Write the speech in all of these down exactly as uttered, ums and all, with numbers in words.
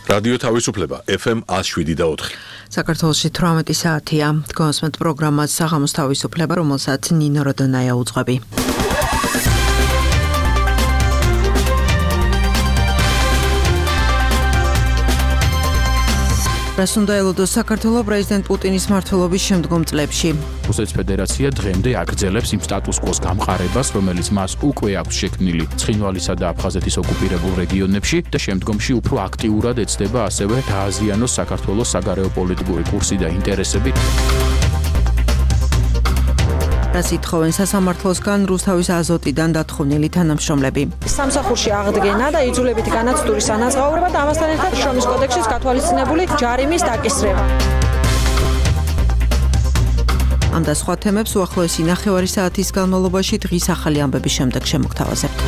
რადიო თავისუფლება ეფ ემ one oh seven და four. საქართველოში თვრამეტი საათია. Თქვენს პროგრამას საღამოს თავისუფლება, რომელსაც ნინო როდონაია უძღვები. რას უნდა ელოდოს საქართველოს პრეზიდენტ პუტინის მმართველობის შემდგომ წლებში. რუსეთის ფედერაცია დღემდე აგრძელებს იმ სტატუს კვოს გამყარებას, რომელიც მას უკვე აქვს შექმნილი ცხინვალისა და აფხაზეთის ოკუპირებულ რეგიონებში და შემდგომში უფრო აქტიურად ეცდება ასევე დააზიანოს საქართველოს საგარეო პოლიტიკური კურსი და ინტერესები. რას ითხოვენ სასამართლოსგან რუსთავის აზოტიდან დათხოვნილი თანამშრომლები. სამსახურში აღდგენა და იძულებითი განათწვრის ანაზღაურება და ამასთან ერთად შრომის კოდექსის გათვალისწინებული ჯარიმის დაკისრება. ამ და სხვა თემებს უახლოესი ნახევარი საათის განმავლობაში დღის ახალი ამბების შემდეგ შემოგთავაზებთ.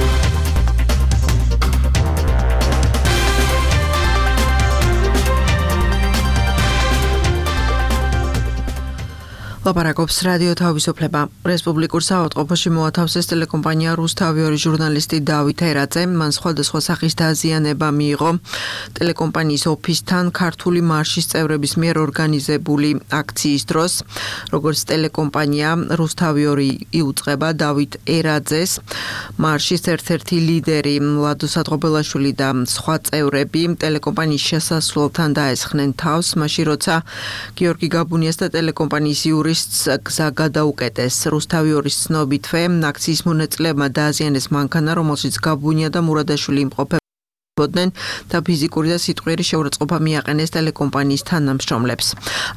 ლაპარაკობს რადიო თავისუფლება. რესპუბლიკურ საავადმყოფოში მოათავსეს ტელეკომპანია რუსთავი ორი ჟურნალისტი დავით ერაძე. მან სხვადასხვა სახის დაზიანება მიიღო ტელეკომპანიის ოფისთან ქართული მარშის წევრების მიერ ორგანიზებული აქციის დროს. როგორც ტელეკომპანია რუსთავი ორი იუწყება დავით ერაძეს, მარშის ერთ-ერთი ლიდერი ლადო სადღობელაშვილი და სხვა წევრები ტელეკომპანიის შესასვლელთან დაესხნენ თავს, მაშინ როცა გიორგი გაბუნიას და ტელეკომპანიის იურის გზა გადაუკეტეს. რუსთავი ორის ცნობითვე აქციის მონაწილეებმა დააზიანეს მანქანა, რომელშიც გაბუნია და მურადაშვილი იმყოფებოდნენ და ფიზიკური და სიტყვიერი შეურაცხყოფა მიაყენეს ტელეკომპანიის თანამშრომლებს.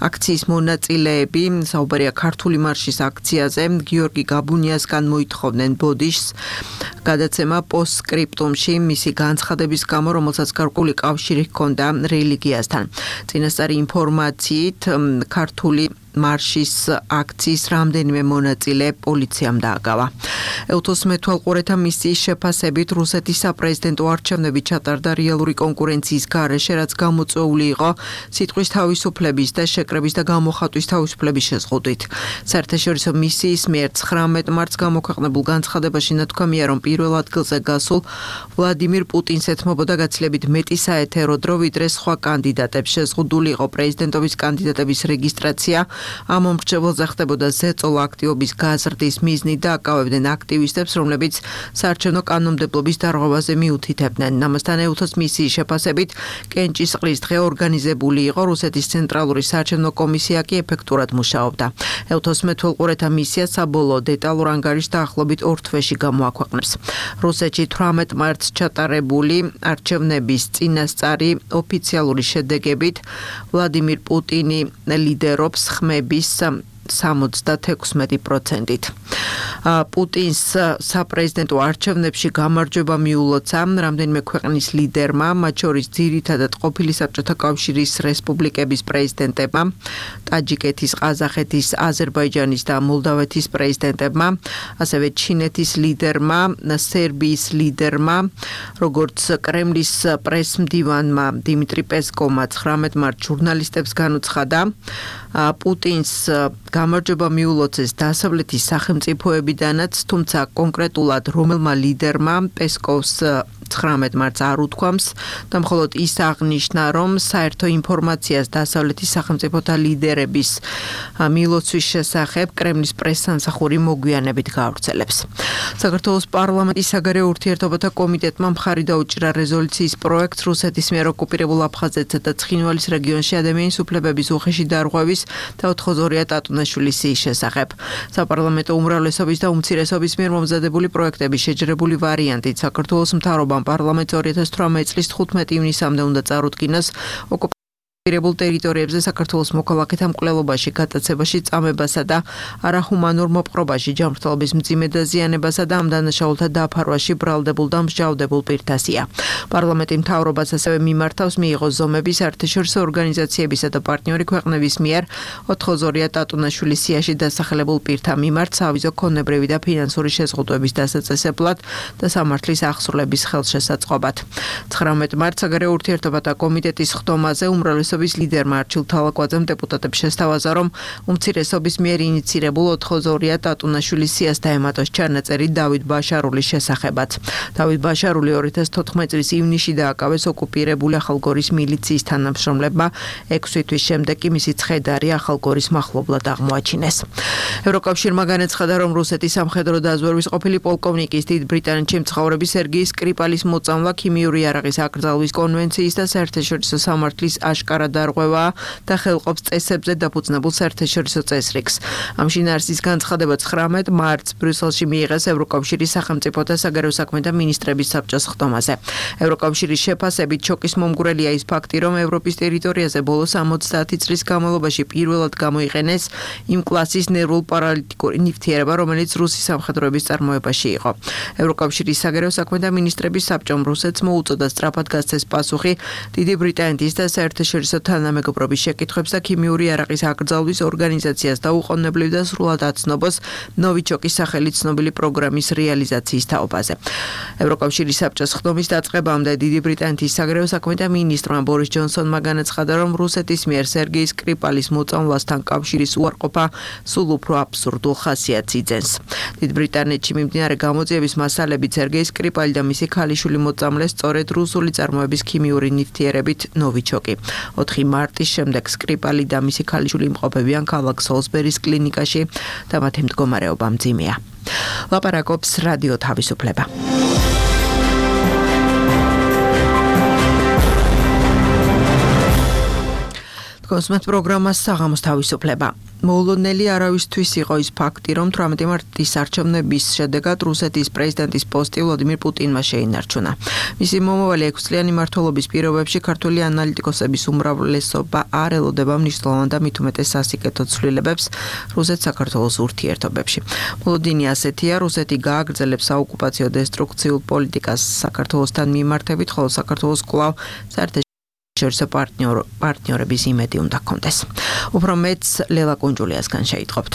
აქციის მონაწილეები, საუბარია ქართული მარშის აქციაზე, გიორგი გაბუნიასგან მოითხოვდნენ ბოდიშს გადაცემა პოსტსკრიპტუმში მისი განცხადების გამო, რომელსაც გარკვეული კავშირი ჰქონდა რელიგიასთან. წინასწარი ინფორმაციით ქართული მარშის აქციის რამდენიმე მონაწილე პოლიციამ დააგავა. ელთოს მეთვალყურეთა მისიის შეფასებით რუსეთის საპრეზიდენტო არჩევნები ჩატარდა რეალური კონკურენციის გარეშე, რაც გამოწვეული იყო სიტყვის თავისუფლების და შეკრების და გამოხატვის თავისუფლების შეზღუდვით. საერთაშორისო მისიის მიერ ცხრამეტ მარტს გამოქვეყნებულ განცხადებაში ნათქვამია, რომ პირველ ადგილზე გასულ ვლადიმირ პუტინს ეთმობოდა გაცილებით მეტი საეთერო დრო, ვიდრე სხვა კანდიდატებს. შეზღუდული იყო პრეზიდენტობის კანდიდატების რეგისტრაცია. ამ მომრჩეველზე ხდებოდა ზეწოლა აქტივობის გაზრდის მიზნით და აკავებდნენ აქტივისტებს, რომლებიც საარჩევნო კანონმდებლობის დარღვევაზე მიუთითებდნენ. ამასთან ელთოს მისიის შეფასებით კენჭისყრის დღე ორგანიზებული იყო, რუსეთის ცენტრალური საარჩევნო კომისია კი ეფექტურად მუშაობდა. ელთოს მეთვალყურეთა მისია საბოლოო დეტალურ ანგარიშს დაახლოებით ორ თვეში გამოაქვეყნებს. რუსეთში თვრამეტ მარტს ჩატარებული არჩევნების წინასწარი ოფიციალური შედეგებით ვლადიმირ პუტინი ლიდერობს ხმების სამოცდათექვსმეტი პროცენტით. პუტინს საპრეზიდენტო არჩევნებში გამარჯვება მიულოცა რამდენიმე ქვეყნის ლიდერმა, მათ შორის ძირითადად ყოფილი საბჭოთა კავშირის რესპუბლიკების პრეზიდენტებმა, ტაჯიკეთის, ყაზახეთის, აზერბაიჯანის და მოლდავეთის პრეზიდენტებმა, ასევე ჩინეთის ლიდერმა, სერბიის ლიდერმა, როგორც კრემლის პრესმდივანმა დიმიტრი პესკოვმა ცხრამეტ მარტს ჟურნალისტებს განუცხადა, პუტინს გამარჯვება მიულოცეს დასავლეთის სახელმწიფოებიდანაც, თუმცა კონკრეტულად რომელმა ლიდერმა პესკოვს ცხრამეტ მარტს არ უთქვამს და მხოლოდ ის აღნიშნა, რომ საერთო ინფორმაციას დასავლეთის სახელმწიფოთა ლიდერების მილოცვის შესახებ კრემლის პრესსამსახური მოგვიანებით გაავრცელებს. საქართველოს პარლამენტის საგარეო ურთიერთობათა კომიტეტმა მხარი დაუჭირა რეზოლუციის პროექტს რუსეთის მიერ ოკუპირებულ აფხაზეთსა და ცხინვალის რეგიონში ადამიანის უფლებების უხეში დარღვევის და ოთხმოცდაორია ტატუნაშვილის სიის შესახებ. საპარლამენტო უმრავლესობის და უმცირესობის მიერ მომზადებული პროექტების შეჯერებული ვარიანტით საქართველოს მთავრობამ პარლამენტს ორი ათას თვრამეტი წლის თხუთმეტი ივნისამდე უნდა წარუდგინოს ოკუპირებულ ტერიტორიებზე საქართველოს მოქალაქეთა მკვლელობაში, გატაცებაში, წამებასა და არახუმანურ მოპყრობაში, ჯანმრთელობის მძიმე დაზიანებასა და ამ დანაშაულთა დაფარვაში ბრალდებულ და მსჯავრდებულ პირთასია. პარლამენტი მთავრობას ასევე მიმართავს მიიღოს ზომები საერთაშორისო ორგანიზაციებისა და პარტნიორი ქვეყნების მიერ ოთხმოცდაორია ტატუნაშვილის სიაში დასახელებულ პირთა მიმართ სავიზო ქონებრივი და ფინანსური შეზღუდვების დასაწესებლად და სამართლის აღსრულების ხელშესაწყობად. ცხრამეტ მარტს საგარეო ურთიერთობათა კომიტეტის ხდომაზე უმრავლესობა უმცირესობის ლიდერმა არჩილ თალაკვაძემ დეპუტატებს შესთავაზა, რომ უმცირესობის მიერ ინიცირებულ ოთხოზე ტატუნაშვილის სიას დაემატოს ჩანაწერი დავით ბაშარულის შესახებაც. დავით ბაშარული ორი ათას თოთხმეტი წლის ივნისში დააკავეს ოკუპირებული ახალგორის მილიციის თანამშრომლებმა, ექვსი თვის შემდეგ კი მისი ცხედარი ახალგორის მახლობლად აღმოაჩინეს. ევროკავშირმა განაცხადა, რომ რუსეთის სამხედრო დაზვერვის ყოფილი პოლკოვნიკის დიდ ბრიტანეთში მცხოვრები სერგეი სკრიპალის მოწამვლა ქიმიური იარაღის აკრძალვის კონვენციის და საერთაშორისო სამართლის აშკარა დარღვევაა და ხელყოფს წესებზე დაფუძნებულ საერთაშორისო წესრიგს. ამ შინაარსის განცხადება ცხრამეტ მარტს ბრიუსელში მიიღეს ევროკავშირის სახელმწიფოთა საგარეო საქმეთა მინისტრების საბჭოს ხდომაზე. ევროკავშირის შეფასებით შოკის მომგვრელია ის ფაქტი, რომ ევროპის ტერიტორიაზე ბოლოს ორმოცდაათი წლის განმავლობაში პირველად გამოიყენეს იმ კლასის ნერვულ-პარალიტიკური ნივთიერება, რომელიც რუსის სამხედროების წარმოებაში იყო. ევროკავშირის საგარეო საქმეთა მინისტრების საბჭომ რუსეთს მოუწოდა სწრაფად გასცეს პასუხი დიდი ბრიტანეთის და საერთაშორისო თანამეგობრობის შეკითხვებს და ქიმიური იარაღის აკრძალვის ორგანიზაციას დაუყოვნებლივ და სრულად აცნობს ნოვიჩოკის სახელით ცნობილი პროგრამის რეალიზაციის თაობაზე. ევროკავშირის საბჭოს ხდომის დაწყებამდე დიდი ბრიტანეთის საგარეო საქმეთა მინისტრმა ბორის ჯონსონმა განაცხადა, რომ რუსეთის მიერ სერგეი სკრიპალის მოწამვლასთან კავშირის უარყოფა სულ უფრო აბსურდულ ხასიათს იძენს. დიდ ბრიტანეთში მიმდინარე გამოძიების მასალებით სერგეი სკრიპალი და მისი ქალიშვილი მოწამლეს სწორედ რუსული წარმოების ქიმიური ნივთიერებით ნოვიჩოკი. ოთხი მარტის შემდეგ სკრიპალი და მისი ქალიშვილი იმყოფებიან ქალაქ სოლსბერის კლინიკაში და მათი მდგომარეობა მძიმეა. ლაპარაკობს რადიო თავისუფლება. კონსმეთ პროგრამას საღამოს თავისუფლება. მოულოდნელი არავისთვის იყო ის ფაქტი, რომ თვრამეტი მარტის არჩევნების შედეგად რუსეთის პრეზიდენტის პოსტი ვლადიმირ პუტინმა შეინარჩუნა. მისი მომავალი ექვსწლიანი მმართველობის პირობებში ქართული ანალიტიკოსების უმრავლესობა არ ელოდება მნიშვნელოვან და მით უმეტეს სასიკეთო ცვლილებებს რუსეთ-საქართველოს ურთიერთობებში. მოლოდინი ასეთია, რუსეთი გააგრძელებს საოკუპაციო დესტრუქციულ პოლიტიკას საქართველოსთან მიმართებით, ხოლო საქართველოს კვლავ საერთაშორისო შორისო პარტნიორების იმედი უნდა ჰქონდეს. უფრო მეც ლელა კუნჯულიასგან შეიტყობთ.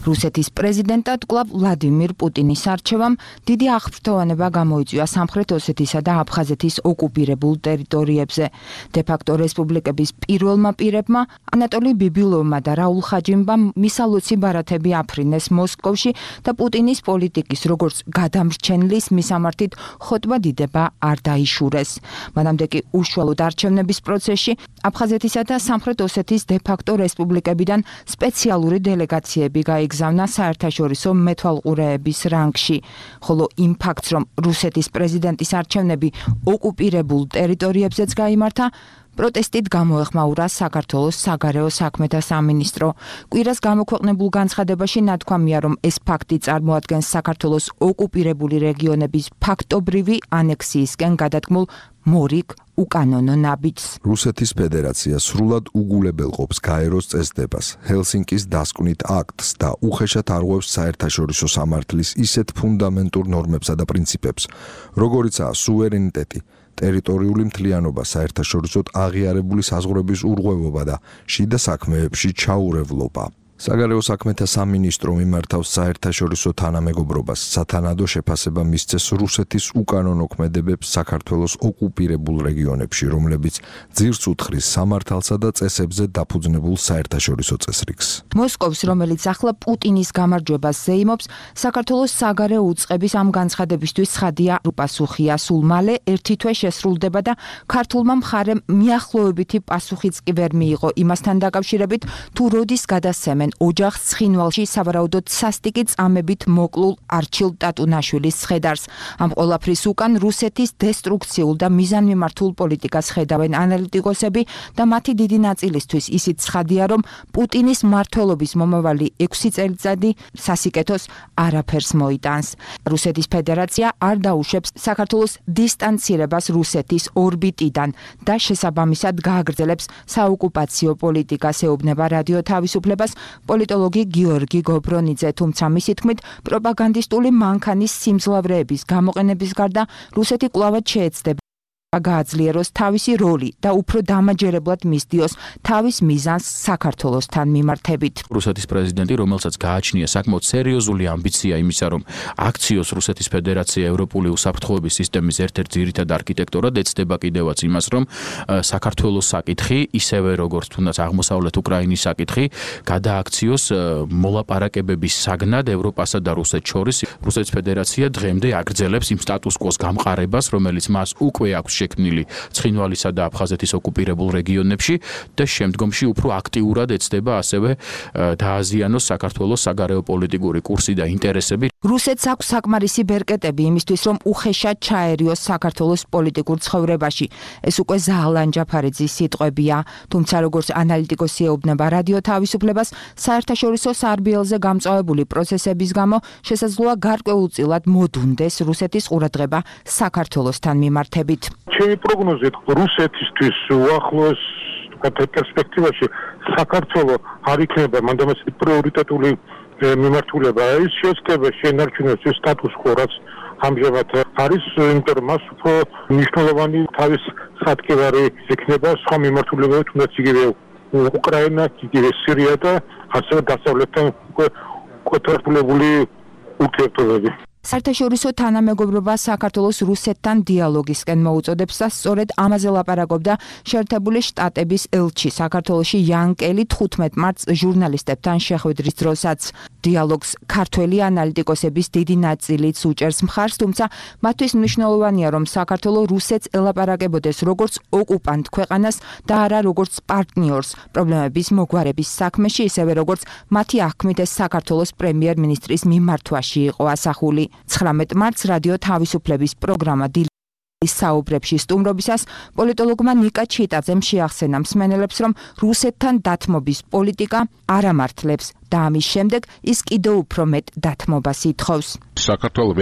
რუსეთის პრეზიდენტად კვლავ ვლადიმირ პუტინის არჩევამ დიდი აღფრთოვანება გამოიწვია სამხრეთ ოსეთისა და აფხაზეთის ოკუპირებულ ტერიტორიებზე. დე-ფაქტო რესპუბლიკების პირველმა პირებმა ანატოლი ბიბილოვმა და რაულ ხაჯიმბამ მისალოცი ბარათები აფრინეს მოსკოვში და პუტინის პოლიტიკის როგორც გადამრჩენლის მისამართით ხოტბა დიდება არ დაიშურეს. მანამდე კი უშუალოდ არჩევნების პროცესში აფხაზეთისა და სამხრეთ ოსეთის დე-ფაქტო რესპუბლიკებიდან სპეციალური დელეგაციები გაიგზავნა გზავნა საერთაშორისო მეთვალყურეების რანგში, ხოლო იმ ფაქტს, რომ რუსეთის პრეზიდენტის არჩევნები ოკუპირებულ ტერიტორიებზეც გაიმართა, პროტესტით გამოეხმაურა საქართველოს საგარეო საქმეთა სამინისტრო. კვირას გამოქვეყნებულ განცხადებაში ნათქვამია, რომ ეს ფაქტი წარმოადგენს საქართველოს ოკუპირებული რეგიონების ფაქტობრივი ანექსიისკენ გადადგმულ მორიგ უკანონო ნაბიჯს. რუსეთის ფედერაცია სრულად უგულებელყოფს გაეროს წესდებას, ჰელსინკის დასკვნით აქტს და უხეშად არღვევს საერთაშორისო სამართლის ისეთ ფუნდამენტურ ნორმებსა და პრინციპებს, როგორიცაა სუვერენიტეტი, ტერიტორიული მთლიანობა, საერთაშორისოდ აღიარებული საზღვრების ურღვევობა და შიდა საქმეებში ჩაურევლობა. საგარეო საქმეთა სამინისტრო მიმართავს საერთაშორისო თანამეგობრობას, სათანადო შეფასება მისცეს რუსეთის უკანონო ქმედებებს საქართველოს ოკუპირებულ რეგიონებში, რომლებიც ძირს უთხრის სამართალსა და წესებზე დაფუძნებულ საერთაშორისო წესრიგს. მოსკოვს, რომელიც ახლა პუტინის გამარჯვებას ზეიმობს, საქართველოს საგარეო უწყების ამ განცხადებისთვის ცხადია უპასუხია. სულ მალე ერთი თვე შესრულდება და ქართულმა მხარემ მიახლოებითი პასუხიც კი ვერ მიიღო იმასთან დაკავშირებით, თუ როდის გადასცემენ ოჯახს ცხინვალში სავარაუდოდ სასტიკი წამებით მოკლულ არჩილ ტატუნაშვილის ცხედარს. ამ ყველაფრის უკან რუსეთის დესტრუქციულ და მიზანმიმართულ პოლიტიკას ხედავენ ანალიტიკოსები და მათი დიდი ნაწილისთვის ისიც ცხადია, რომ პუტინის მმართველობის მომავალი ექვსი წელიწადი სასიკეთოს არაფერს მოიტანს. რუსეთის ფედერაცია არ დაუშვებს საქართველოს დისტანცირებას რუსეთის ორბიტიდან და შესაბამისად გააგრძელებს საოკუპაციო პოლიტიკას, ეუბნება რადიო თავისუფლებას პოლიტოლოგი გიორგი გობრონიძე, თუმცა მისი თქმით, პროპაგანდისტული მანქანის სიმძლავრეების გამოყენების გარდა რუსეთი კვლავად შეეცდება გააძლიეროს თავისი როლი და უფრო დამაჯერებლად მისდიოს თავის მიზანს საქართველოსთან მიმართებით. რუსეთის პრეზიდენტი, რომელსაც გააჩნია საკმაოდ სერიოზული ამბიცია იმისა, რომ აქციოს რუსეთის ფედერაცია ევროპული უსაფრთხოების სისტემის ერთ-ერთ ძირითად არქიტექტორად, ეცდება კიდევაც იმას, რომ საქართველოს საკითხი, ისევე როგორც თუნდაც აღმოსავლეთ უკრაინის საკითხი, გადააქციოს მოლაპარაკებების საგნად ევროპასა და რუსეთს შორის. რუსეთის ფედერაცია დღემდე აგრძელებს იმ სტატუს კვოს გამყარებას, რომელიც მას უკვე აქვს შექმნილი ცხინვალისა და აფხაზეთის ოკუპირებულ რეგიონებში და შემდგომში უფრო აქტიურად ეცდება ასევე დააზიანოს საქართველოს საგარეო პოლიტიკური კურსი და ინტერესები. რუსეთს აქვს საკმარისი ბერკეტები იმისთვის, რომ უხეშად ჩაერიოს საქართველოს პოლიტიკურ ცხოვრებაში. ეს უკვე ზაალან ჯაფარიძის სიტყვებია, თუმცა როგორც ანალიტიკოსი ეუბნება რადიო თავისუფლებას, საერთაშორისო სარბიელზე გამწვავებული პროცესების გამო შესაძლოა გარკვეულწილად მოდუნდეს რუსეთის ყურადღება საქართველოსთან მიმართებით. ჩემი პროგნოზით რუსეთისთვის უახლოეს პერსპექტივაში საქართველო არ იქნება მანდამაც პრიორიტეტული მიმართულება. ის შეესწება შენარჩუნოს ის სტატუს quo, რაც ამჟამად არის, იმიტომ რომ მას უფრო მნიშვნელოვანი თავის სატკივარი ექნება სხვა მიმართულებები, თუნდაც იგივე უკრაინა, იგივე სირია და ასევე დასავლეთთან კოტრფულებული ურთიერთობები. საერთაშორისო თანამეგობრობა საქართველოს რუსეთთან დიალოგისკენ მოუწოდებს და სწორედ ამაზე ლაპარაკობდა შეერთებული შტატების ელჩი საქართველოში იან კელი თხუთმეტ მარტს ჟურნალისტებთან შეხვედრის დროსაც. დიალოგს ქართველი ანალიტიკოსების დიდი ნაწილიც უჭერს მხარს, თუმცა მათთვის მნიშვნელოვანია, რომ საქართველო რუსეთს ელაპარაკებოდეს როგორც ოკუპანტ ქვეყანას და არა როგორც პარტნიორს პრობლემების მოგვარების საქმეში, ისევე როგორც მათი აღქმით ეს საქართველოს პრემიერ-მინისტრის მიმართვაში იყო ასახული. ცხრამეტ მარტს რადიო თავისუფლების პროგრამა საუბრებში სტუმრობისას პოლიტოლოგმა ნიკა ჩიტაძემ შეახსენა მსმენელებს, რომ რუსეთთან დათმობის პოლიტიკა არ ამართლებს და ამის შემდეგ ის კიდევ უფრო მეტ დათმობას ითხოვს. საქართველოს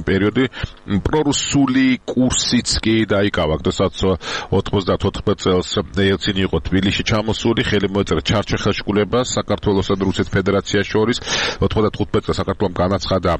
პერიოდი პრორუსული კურსიც კი დაიკავა, როდესაც ოთხმოცდათოთხ წელს ელცინი იყო თბილისში ჩამოსული, ხელი მოეწერა ჩარჩეხელშკულებას საქართველოსა და რუსეთის ფედერაციის შორის. ოთხმოცდათხუთმეტ წელს საქართველომ განაცხადა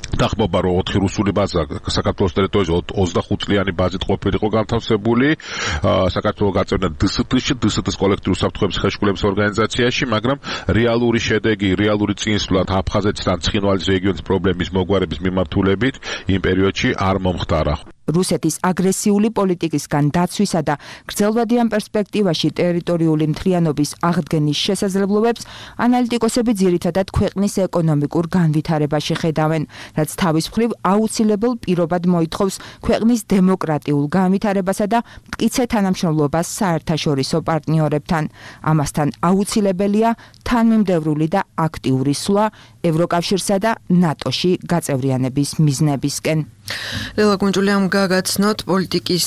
დახმობა, რომ ოთხი რუსული ბაზა საქართველოს ტერიტორიაზე ოცდახუთ წლიანი ბაზით ყოფილიყო განთავსებული. საქართველო გაწევნა დსთ-ში, დსთ-ის კოლექტიური უსაფრთხოების ხელშეკრულების ორგანიზაციაში, მაგრამ რეალური შედეგი, რეალური წინსვლა აფხაზეთთან ცხინვალის რეგიონის პრობლემის მოგვარების მიმართულებით იმ პერიოდში არ მომხდარა. რუსეთის აგრესიული პოლიტიკისგან დაცვისა და გრძელვადიან პერსპექტივაში ტერიტორიული მთლიანობის აღდგენის შესაძლებლობებს ანალიტიკოსები ძირითადად ქვეყნის ეკონომიკურ განვითარებაში ხედავენ, რაც თავის მხრივ აუცილებელ პირობად მოითხოვს ქვეყნის დემოკრატიულ განვითარებასა და მტკიცე თანამშრომლობას საერთაშორისო პარტნიორებთან. ამასთან აუცილებელია თანმიმდევრული და აქტიური სვლა ევროკავშირსა და ნატოში გაწევრიანების მიზნებისკენ. ლელა გუნჯულიამ გაგაცნოთ პოლიტიკის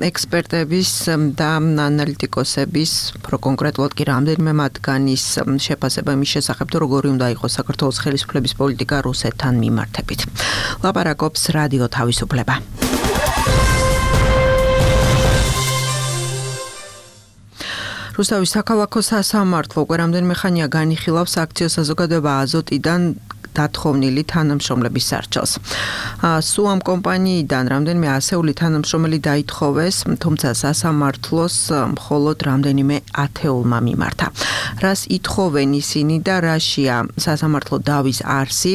ექსპერტების და ანალიტიკოსების, უფრო კონკრეტულად კი რამდენიმე მათგანის შეფასება იმის შესახებ, თუ როგორი უნდა იყოს საქართველოს ხელისუფლების პოლიტიკა რუსეთთან მიმართებით. ლაპარაკობს რადიო თავისუფლება. რუსთავის საქალაქო სასამართლო უკვე რამდენიმე ხანია განიხილავს აქციო საზოგადოება აზოტიდან დათხოვნილი თანამშრომლების სარჩელს. სუამ კომპანიიდან რამდენიმე ასეული თანამშრომელი დაითხოვეს, თუმცა სასამართლოს მხოლოდ რამდენიმე ათეულმა მიმართა. რას ითხოვენ ისინი და რაშია სასამართლო დავის არსი,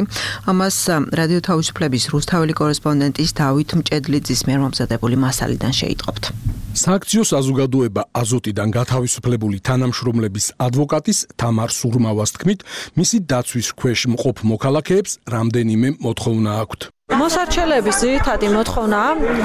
ამას რადიო თავისუფლების რუსთაველი კორესპონდენტის დავით მჭედლიძის მიერ მომზადებული მასალიდან შეიტყობთ. სააქციო საზოგადოება აზოტიდან გათავისუფლებული თანამშრომლების ადვოკატის თამარ სურმავას თქმით, მისი დაცვის ქვეშ მყოფ მოქალაქეებს რამდენიმე მოთხოვნა აქვთ. მოსარჩელების ძირითადი მოთხოვნა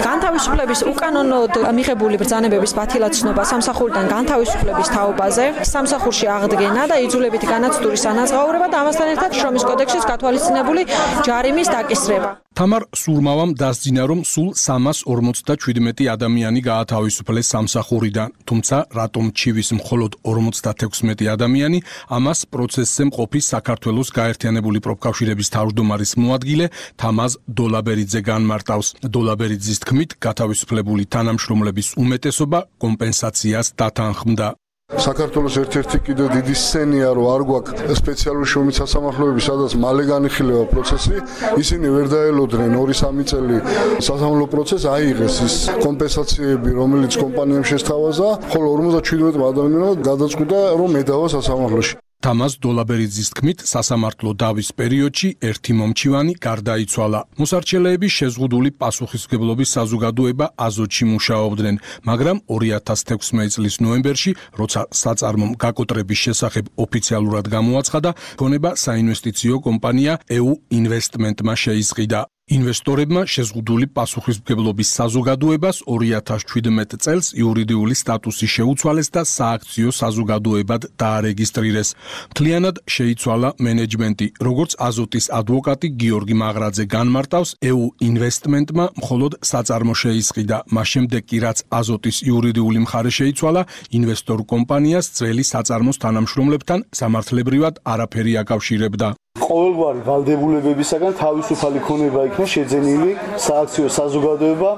განთავისუფლების უკანონოდ მიღებული ბრძანებების ბათილაცნობა სამსახურიდან განთავისუფლების თაობაზე, სამსახურში აღდგენა და იძულებითი განაცდურის ანაზღაურება და ამასთან ერთად შრომის კოდექსის გათვალისწინებული ჯარიმის დაკისრება. თამარ სურმავამ დასძინა, რომ სულ სამას ორმოცდაშვიდმეტი ადამიანი გაათავისუფლეს სამსახურიდან, თუმცა რატომ ჩივის მხოლოდ ორმოცდათექვსმეტი ადამიანი, ამას პროცესზე მყოფი საქართველოს გაერთიანებული პროფკავშირების თავმჯდომარის მოადგილე თამაზ დოლაბერიძე განმარტავს. დოლაბერიძის თქმით, გათავისუფლებული თანამშრომლების უმეტესობა კომპენსაციას დათანხმდა. საქართველოს ერთ-ერთი კიდევ დიდი სცენია, რომ არ გვაქვს სპეციალური შრომით სასამართლოები, სადაც მალე განიხილება პროცესი, ისინი ვერ დაელოდნენ ორი სამი წელი სასამართლო პროცესს, აიღეს ის კომპენსაციები, რომელიც კომპანიამ შესთავაზა, ხოლო ორმოცდაშვიდმეტ ადამიანმა გადაწყვიტა, რომ ედავა სასამართლოში. თამაზ დოლაბერიძის თქმით, სასამართლო დავის პერიოდში ერთი მომჩივანი გარდაიცვალა. მოსარჩელეები შეზღუდული პასუხისმგებლობის საზოგადოება აზოტში მუშაობდნენ, მაგრამ ორი ათას თექვსმეტი წლის ნოემბერში, როცა საწარმომ გაკოტრების შესახებ ოფიციალურად გამოაცხადა, ქონება საინვესტიციო კომპანია ევ ინვესტმენტმა შეიზღიდა. ინვესტორებმა შეზღუდული პასუხისმგებლობის საზოგადოებას ორი ათას შვიდმეტ წელს იურიდიული სტატუსი შეუცვალეს და სააქციო საზოგადოებად დაარეგისტრირეს. მთლიანად შეიცვალა მენეჯმენტი, როგორც აზოტის ადვოკატი გიორგი მაღრაძე განმარტავს, ევ ინვესტმენტმა მხოლოდ საწარმო შეისყიდა, მას შემდეგ კი რაც აზოტის იურიდიული მხარე შეიცვალა, ინვესტორ კომპანიას ძველი საწარმოს თანამშრომლებთან სამართლებრივად არაფერი აკავშირებდა. ყოველგვარი ვალდებულებებისაგან თავისუფალი ქონება იქნა შეძენილი სააქციო საზოგადოება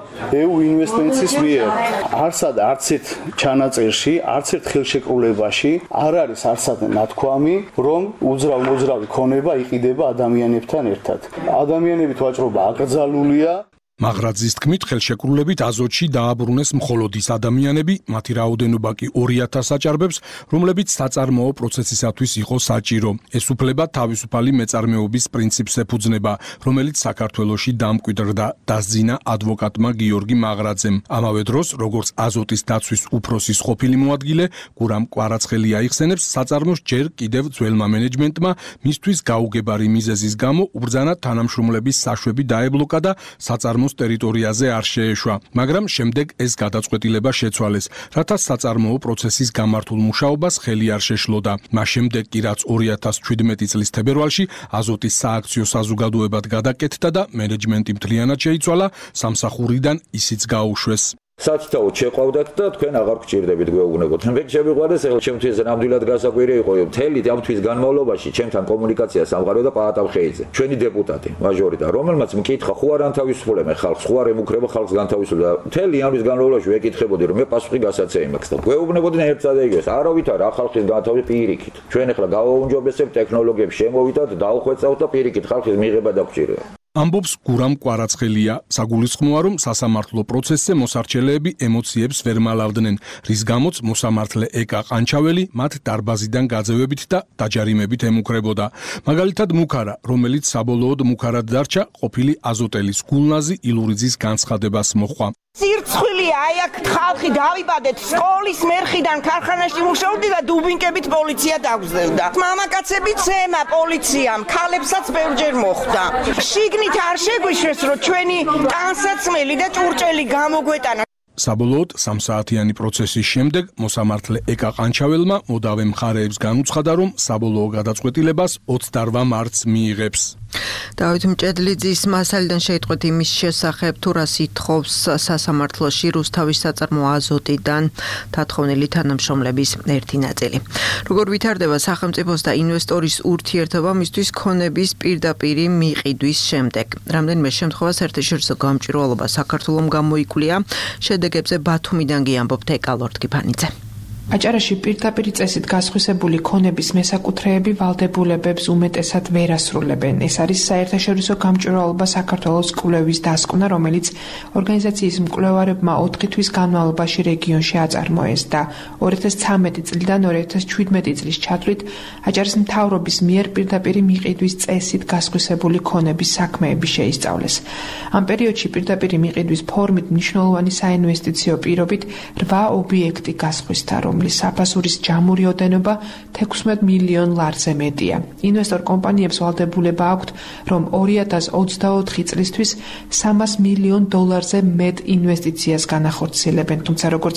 ევ ინვესტმენტის მიერ. არცად არც ერთ ჩანაწერში, არც ერთ ხელშეკრულებაში არ არის არცად ნათქვამი, რომ უძრავ მოძრავი ქონება იყიდება ადამიანებთან ერთად. ადამიანებით ვაჭრობა აკრძალულია. მაღრაძის თქმით, ხელშეკრულებით აზოტში დააბრუნეს მხოლოდ ის ადამიანები, მათი რაოდენობა კი ორი ათას აჭარბებს, რომლებიც საწარმოო პროცესისათვის იყო საჭირო. ეს უფლება თავისუფალი მეწარმეობის პრინციპს ეფუძნება, რომელიც საქართველოში დამკვიდრდა, დასძინა ადვოკატმა გიორგი მაღრაძემ. ამავე დროს, როგორც აზოტის დაცვის უფროსის ყოფილი მოადგილე, გურამ კვარაცხელი აიხსენებს, საწარმოს ჯერ კიდევ ძველმა მენეჯმენტმა მისთვის გაუგებარი მიზეზის გამო უბრძანა თანამშრომლების საშვები დაებლოკა და საწარმო ტერიტორიაზე არ შეეშვა, მაგრამ შემდეგ ეს გადაწყვეტილება შეცვალეს, რათა საწარმოო პროცესის გამართულ მუშაობას ხელი არ შეშლოდა. მას შემდეგ კი რაც ორი ათას შვიდმეტი წლის თებერვალში აზოტის სააქციო საზოგადოებად გადაკეთდა და მენეჯმენტი მთლიანად შეიცვალა, სამსახურიდან ისიც გაუშვეს. სათითაოდ შეყვავდათ და თქვენ აღარ გჭირდებით გვეუბნებოდ. მე შემიყვარდეს, ახლა ჩემთვის ნამდვილად გასაკვირი იყო, მთელი ამ თვის განმავლობაში ჩემთან კომუნიკაცია სამყარო და პაატა ხეიძე, ჩვენი დეპუტატი, მაჟორიტა, რომელმაც მკითხა, ხო არ ანთავისუფლებენ ხალხს, ხო არ ემუქრება ხალხს განთავისუფლება. მთელი ამის განმავლობაში ვეკითხებოდი, რომ მე პასუხი გასაცემი მაქვს და გვეუბნებოდნენ ერთსა და იგივეს. არავით არა, ხალხის განთავისუფლება პირიქით. ჩვენ ახლა გავაუმჯობესებთ ტექნოლოგიებს, შემოვიდათ, დავხვეწავთ და პირიქით ხალხის მიღება დაგჭირდება. ამბობს გურამ კვარაცხელია, საგულისხმოა, რომ სასამართლო პროცესზე მოსარჩელეები ემოციებს ვერ მალავდნენ, რის გამოც მოსამართლე ეკა ყანჩაველი მათ დარბაზიდან გაძევებით და დაჯარიმებით ემუქრებოდა. მაგალითად მუქარა, რომელიც საბოლოოდ მუქარად დარჩა, ყოფილი აზოტელის გულნაზი ილურიძის განცხადებას მოჰყვა. სირცხვილია, აი აქ ხალხი დავიბადეთ, სკოლის მერხიდან ქარხანაში მუშაობდი და დუბინკებით პოლიცია დაგზევდა. მამაკაცები ცემა პოლიციამ, ქალებსაც ბევრჯერ მოხვდა. შიგნით არ შეგვიშვეს, რომ ჩვენი ტანსაცმელი და ჭურჭელი გამოგვეტანა. საბოლოოდ სამსაათიანი პროცესის შემდეგ მოსამართლე ეკა ყანჩაველმა მოდავე მხარეებს განუცხადა, რომ საბოლოო გადაწყვეტილებას ოცდაოთხ მარტს მიიღებს. დავით მჭედლიძის მასალიდან შეიტყვეთ იმის შესახებ, თუ რას ითხოვს სასამართლოში რუსთავის საწარმო აზოტიდან დათხოვნილი თანამშრომლების ერთი ნაწილი. როგორ ვითარდება სახელმწიფოს და ინვესტორის ურთიერთობა მისთვის ქონების პირდაპირი მიყიდვის შემდეგ. რამდენიმე შემთხვევა საერთაშორისო გამჭვირვალობა საქართველომ გამოიკვლია. შედეგებზე ბათუმიდან გიამბობთ ეკალორდ გიფანიძე. აჭარაში პირდაპირი წესით გასხვისებული ქონების მესაკუთრეები ვალდებულებებს უმეტესად ვერ ასრულებენ. ეს არის საერთაშორისო გამჭვირვალობა საქართველოს კვლევის დასკვნა, რომელიც ორგანიზაციის მკვლევარებმა ოთხი თვის განმავლობაში რეგიონში აწარმოეს და ორი ათას ცხრამეტი წლიდან ორი ათას შვიდმეტი წლის ჩათვლით აჭარის მთავრობის მიერ პირდაპირი მიყიდვის წესით გასხვისებული ქონების საქმეები შეისწავლეს. ამ პერიოდში პირდაპირი მიყიდვის ფორმით მნიშვნელოვანი საინვესტიციო პირობით რვა ობიექტი გასხვისდა, რომლის საფასურის ჯამური ოდენობა თექვსმეტ მილიონ ლარზე მეტია. ინვესტორ კომპანიებს ვალდებულება აქვთ, რომ ორი ათას ოცდაოთხი წლისთვის სამას მილიონ დოლარზე მეტ ინვესტიციას განახორციელებენ, თუმცა როგორც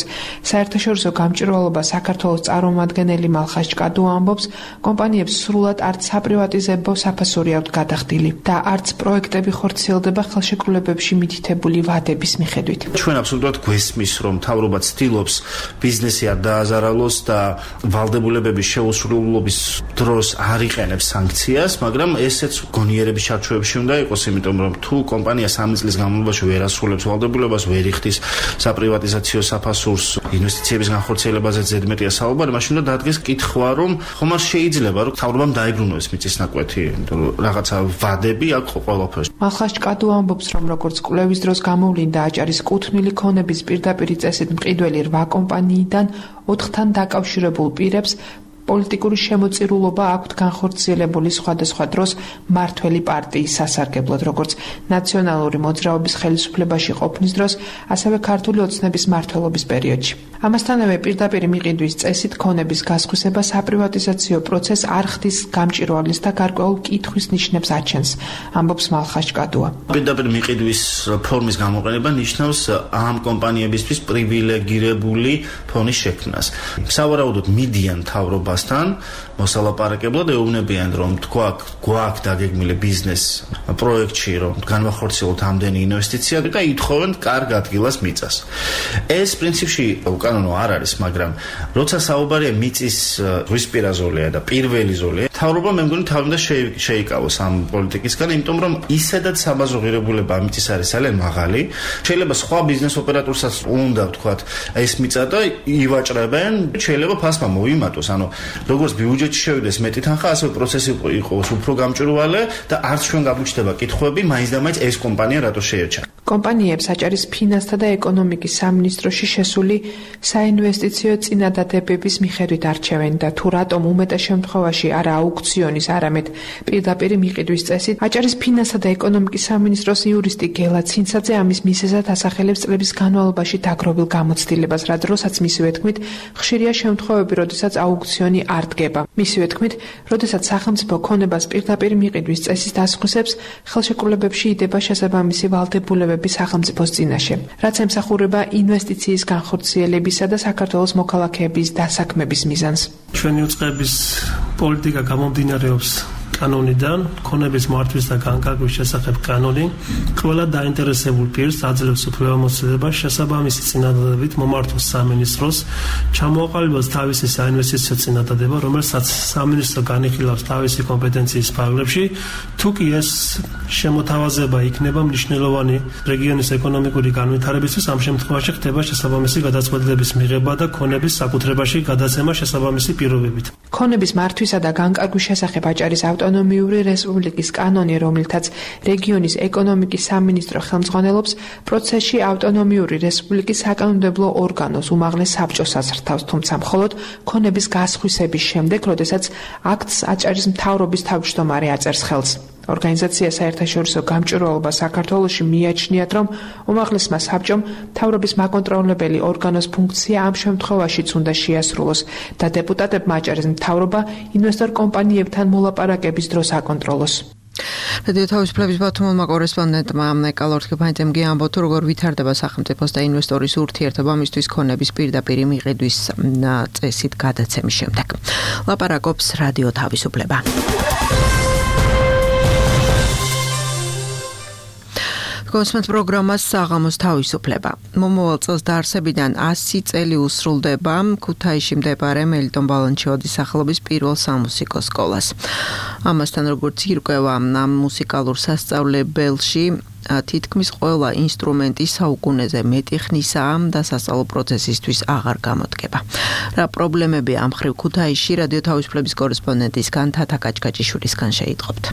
საერთაშორისო გამჭვირვალობა საქართველოს წარმომადგენელი მალხაზ ჭკადო ამბობს, კომპანიებს სრულად არც საპრივატიზებო საფასური აქვთ გადახდილი და არც პროექტები ხორციელდება ხელშეკრულებებში მითითებული ვადების მიხედვით. ჩვენ აბსოლუტურად გვესმის, რომ მთავრობა ცდილობს ბიზნესი არ დააზაროს აზარალოს და ვალდებულებების შეუსრულობის დროს არ იყენებს სანქციას, მაგრამ ესეც გონიერების ჩარჩოებში უნდა იყოს, იმიტომ რომ თუ კომპანია სამი წლის განმავლობაში ვერ ასრულებს ვალდებულებას, ვერ იხდის საპრივატიზაციო საფასურს, ინვესტიციების განხორციელებაზე ზედმეტია საუბარი, მაშინ უნდა დადგეს კითხვა, რომ ხომ არ შეიძლება, რომ თავრობამ დაიბრუნოს მიწისნაკვეთი, იმიტომ რომ რაღაცა ვადები აქვს ყველაფერს. მალხაშკადუ ამბობს, რომ როგორც კვლევის დროს გამოვლინდა აჭარის კუთვნილი ქონების პირდაპირი წესით მყიდველი რვა კომპანიიდან ოთხთან დაკავშირებულ პირებს პოლიტიკური შემოწირულობა აქვთ განხორციელებული სხვადასხვა დროს მართველი პარტიის სასარგებლოდ, როგორც ნაციონალური მოძრაობის ხელისუფლებაში ყოფნის დროს, ასევე ქართული ოცნების მმართველობის პერიოდში. ამასთანავე პირდაპირი მიყიდვის წესით ქონების გასხვისება საპრივატიზაციო პროცესს არ ხდის გამჭირვალეს და გარკვეულ კითხვის ნიშნებს აჩენს, ამბობს მალხაშკადუა. პირდაპირ მიყიდვის ფორმის გამოყენება ნიშნავს ამ კომპანიებისთვის პრივილეგირებული ფონის შექმნას. სავარაუდოდ მიდიან თავრობასთან მოსალაპარაკებლად, ეუბნებიან, რომ თქვა გვაქვს დაგეგმილი ბიზნეს პროექტში, რომ განვახორციელოთ ამდენი ინვესტიცია და ითხოვენ კარგ ადგილას მიწას. ეს პრინციპში უკანონო არ არის, მაგრამ როცა საუბარია მიწის ზღვისპირა ზოლია და პირველი ზოლია, თავრობა მე მგონი თავი უნდა შეიკავოს ამ პოლიტიკისგან, იმიტომ რომ ისედაც საბაზრო ღირებულება მიწის არის ძალიან მაღალი. შეიძლება სხვა ბიზნეს ოპერატორსაც უნდა ვთქვათ, ეს მიწა და ივაჭრებენ, შეიძლება ფასმა მოიმატოს, ანუ როგორც ბიუჯეტში შევიდეს მეტი თანხა, ასევე პროცესი იყოს უფრო გამჭვირვალე და არც ჩვენ გაგვიჩნდება კითხვები, მაინც და მაინც ეს კომპანია რატო შეერჩა. კომპანიებს აჭარის ფინანსთა და ეკონომიკის სამინისტროში შესული საინვესტიციო წინადადებების მიხედვით არჩევენ და თუ რატომ უმეტეს შემთხვევაში არა აუქციონის, არამედ პირდაპირი მიყიდვის წესით, აჭარის ფინანსთა და ეკონომიკის სამინისტროს იურისტი გელა ცინცაძე ამის მიზეზად ასახელებს წლების განმავლობაში დაგროვილ გამოცდილებას, რა დროსაც მისივე თქმით, ხშირია შემთხვევები, როდესაც აუქციონი არ დგება. მისივე თქმით, როდესაც სახელმწიფო ქონებას პირდაპირი მიყიდვის წესის დასხვისებს, ხელშეკრულებებში იდება შესაბამისი ვალდებულებები სახელმწიფოს წინაშე, რაც ემსახურება ინვესტიციის განხორციელებისა და საქართველოს მოქალაქეების დასაქმების მიზანს. ჩვენი უწყების პოლიტიკა გამომდინარეობს კანონიდან, ქონების მართვის და განკარგვის შესახებ კანონი, ყველა დაინტერესებულ პირს აძლევს უფლებამოსილებას შესაბამისი წინადადებით მომართოს სამინისტროს, ჩამოაყალიბოს თავისი საინვესტიციო წინადადება, რომელსაც სამინისტრო განიხილავს თავისი კომპეტენციის ფარგლებში, თუ კი ეს შემოთავაზება იქნება მნიშვნელოვანი რეგიონის ეკონომიკური განვითარებისთვის, ამ შემთხვევაში ხდება შესაბამისი გადაწყვეტილების მიღება და ქონების საკუთრებაში გადაცემა შესაბამისი პირობებით. ქონების მართვისა და განკარგვის შესახებ აჭარის ავტონომიური რესპუბლიკის კანონი, რომელთაც რეგიონის ეკონომიკის სამინისტრო ხელმძღვანელობს, პროცესში ავტონომიური რესპუბლიკის საკანონმდებლო ორგანოს უმაღლეს საბჭოს აზრთავს, თუმცა მხოლოდ ქონების გასხვისების შემდეგ, როდესაც აქტს აჭარის მთავრობის თავმჯდომარე აწერს ხელს. ორგანიზაცია საერთაშორისო გამჭვირვალობა საქართველოში მიაჩნიათ, რომ უმაღლესმა საბჭომ მთავრობის მაკონტროლებელი ორგანოს ფუნქცია ამ შემთხვევაშიც უნდა შეასრულოს და დეპუტატებმა აჭარის მთავრობა ინვესტორ კომპანიებთან მოლაპარაკების დროს აკონტროლოს. რადიო თავისუფლების ბათუმელმა კორესპონდენტმა ნიკოლ ორთქიფანიძემ ამბო, თუ როგორ ვითარდება სახელმწიფოს და ინვესტორის ურთიერთობა მისთვის ქონების პირდაპირი მიყიდვის წესით გადაცემის შემდეგ. ლაპარაკობს რადიო თავისუფლება. კონსმენთ პროგრამას საღამოს თავისუფლება. მომავალ წელს დაარსებიდან ასი წელი უსრულდება ქუთაისში მდებარე მელიტონ ბალანჩეოდის სახელობის პირველ სამუსიკო სკოლას. ამასთან როგორც ირკვევა ამ მუსიკალურ სასწავლებელში თითქმის ყველა ინსტრუმენტი საუკუნეზე მეტი ხნისაა და სასწავლო პროცესისთვის აღარ გამოდგება. რა პრობლემები ამ ხრივ ქუთაისში რადიო თავისუფლების კორესპონდენტისგან თათა კაჭკაჭიშვილისგან შეიტყობთ.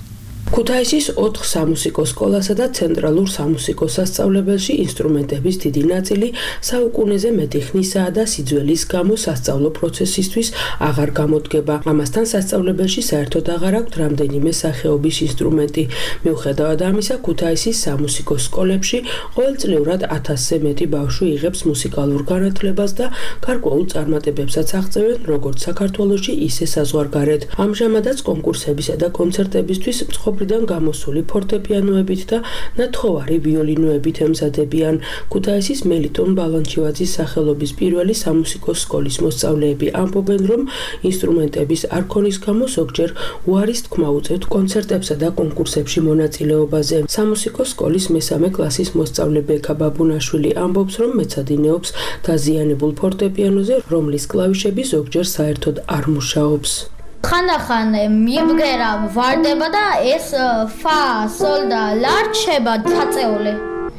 ქუთაისის ოთხ სამუსიკო სკოლასა და ცენტრალურ სამუსიკო სასწავლებელში ინსტრუმენტების დიდი ნაწილი საუკუნეზე მეტი ხნისაა და სიძველის გამო სასწავლო პროცესისთვის აღარ გამოდგება. ამასთან სასწავლებელში საერთოდ აღარ აქვთ რამდენიმე სახეობის ინსტრუმენტი. მიუხედავად ამისა, ქუთაისის სამუსიკო სკოლებში ყოველწლიურად ათასზე მეტი ბავშვი იღებს მუსიკალურ განათლებას და გარკვეულ წარმატებებსაც აღწევენ როგორც საქართველოში, ისე საზღვარგარეთ. ამჟამადაც კონკურსებისა და კონცერტებისთვის მეზობლიდან გამოსული ფორტეპიანოებით და ნათხოვარი ვიოლინოებით ემზადებიან. ქუთაისის მელიტონ ბალანჩივაძის სახელობის პირველი სამუსიკო სკოლის მოსწავლეები ამბობენ, რომ ინსტრუმენტების არ ქონის გამო ზოგჯერ უარის თქმა უწევთ კონცერტებსა და კონკურსებში მონაწილეობაზე. სამუსიკო სკოლის მესამე კლასის მოსწავლე ბექა ბაბუნაშვილი ამბობს, რომ მეცადინეობს დაზიანებულ ფორტეპიანოზე, რომლის კლავიშები ზოგჯერ საერთოდ არ მუშაობს. ხანდახან მიბგერა ვარდება და ეს ფა, სოლ და ლა რჩება დაწეული.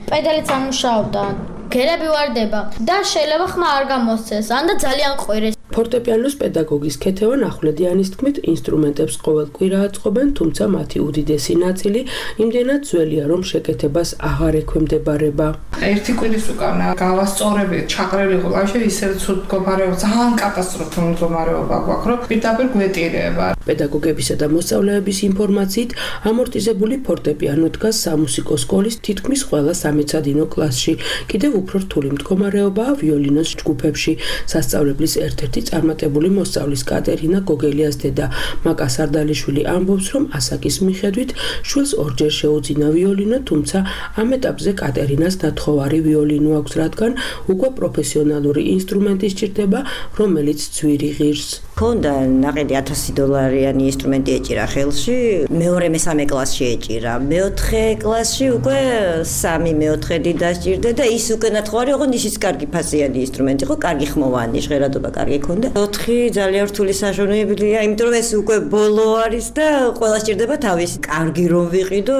პედალიც არ მუშაობდა. გერები ვარდება და შეიძლება ხმა არ გამოსცეს, ან და ძალიან ყვირეს. ფორტეპიანოს პედაგოგის ქეთევან ახვლედიანის თქმით, ინსტრუმენტებს ყოველ კვირა აწყობენ, თუმცა მათი უდიდესი ნაწილი იმდენად ძველია, რომ შეკეთებას აღარ ექვემდებარება. ერთი კვირის უკან გავასწორებით, ჩაყრილი ყლავში ისეთ ცუდ მდგომარეობა, ძალიან კატასტროფული მდგომარეობა გვაქვს, რომ პირდაპირ გვეტირება. პედაგოგებისა და მოსწავლეების ინფორმაციით, ამორტიზებული ფორტეპიანო დგას სამუსიკო სკოლის თითქმის ყველა სამეცადინო კლასში. კიდევ უფრო რთული მდგომარეობაა ვიოლინოს ჯგუფებში. სასწავლებლის ერთ-ერთი წარმატებული მოსწავლის კატერინა გოგელიას დედა მაკა სარდალიშვილი ამბობს, რომ ასაკის მიხედვით შვილს ორჯერ შეუძინა ვიოლინო, თუმცა ამ ეტაპზე კატერინას ნათხოვარი ვიოლინო აქვს, რადგან უკვე პროფესიონალური ინსტრუმენტი სჭირდება, რომელიც ძვირი ღირს. ქონდა ნაყიდი ათასი დოლარიანი ინსტრუმენტი ეჭირა ხელში, მეორე მესამე კლასში ეჭირა, მეოთხე კლასში უკვე სამი მეოთხედი დასჭირდა და ის უკვე ნათხოვარი ოღონდ ისიც კარგი ფასიანი ინსტრუმენტი იყო, კარგი ხმოვანი, ჟღერადობა კარგი ქონდა. ოთხი ძალიან რთული საშუალებაა, იმიტომ რომ ეს უკვე ბოლო არის და ყველა სჭირდება თავის. კარგი რომ ვიყიდო,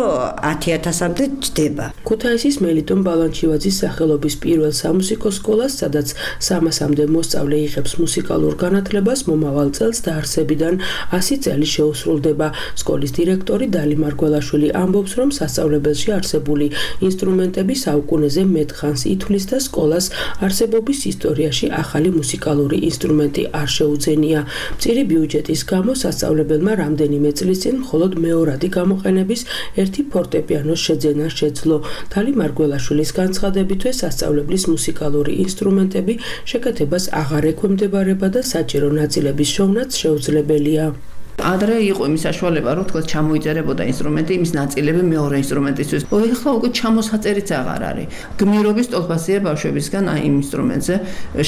ათი ათასამდე ჯდება. ქუთაისის მელიტონ ბალანჩივაძის სახელობის პირველ სამუსიკო სკოლას, სადაც სამასამდე მოსწავლე იღებს მუსიკალურ განათლებას, მომავალ წელს დაარსებიდან ასი წელი შეუსრულდება. სკოლის დირექტორი დალი მარგველაშვილი ამბობს, რომ სასწავლებელში არსებული ინსტრუმენტები საუკუნეზე მეტხანს ითვლის და სკოლას არსებობის ისტორიაში ახალი მუსიკალური ინსტრუმენტი არ შეუძენია. მწირი ბიუჯეტის გამო სასწავლებელმა რამდენიმე წლის წინ მხოლოდ მეორადი გამოყენების ერთი ფორტეპიანოს შეძენა შეძლო. დალი მარგველაშვილის განცხადებითვე სასწავლებლის მუსიკალური ინსტრუმენტები შეკეთებას აღარ ექვემდებარება და საჭირო ნაწილების შოვნაც შეუძლებელია. ადრე იყო იმის საშუალება, რომ თქო ჩამოიწერებოდა ინსტრუმენტი იმის ნაწილები მეორე ინსტრუმენტისთვის. ეხლა უკვე ჩამოსაწერიც აღარ არის. გმირობის ტოლფასია ბავშვებისგან აი იმ ინსტრუმენტზე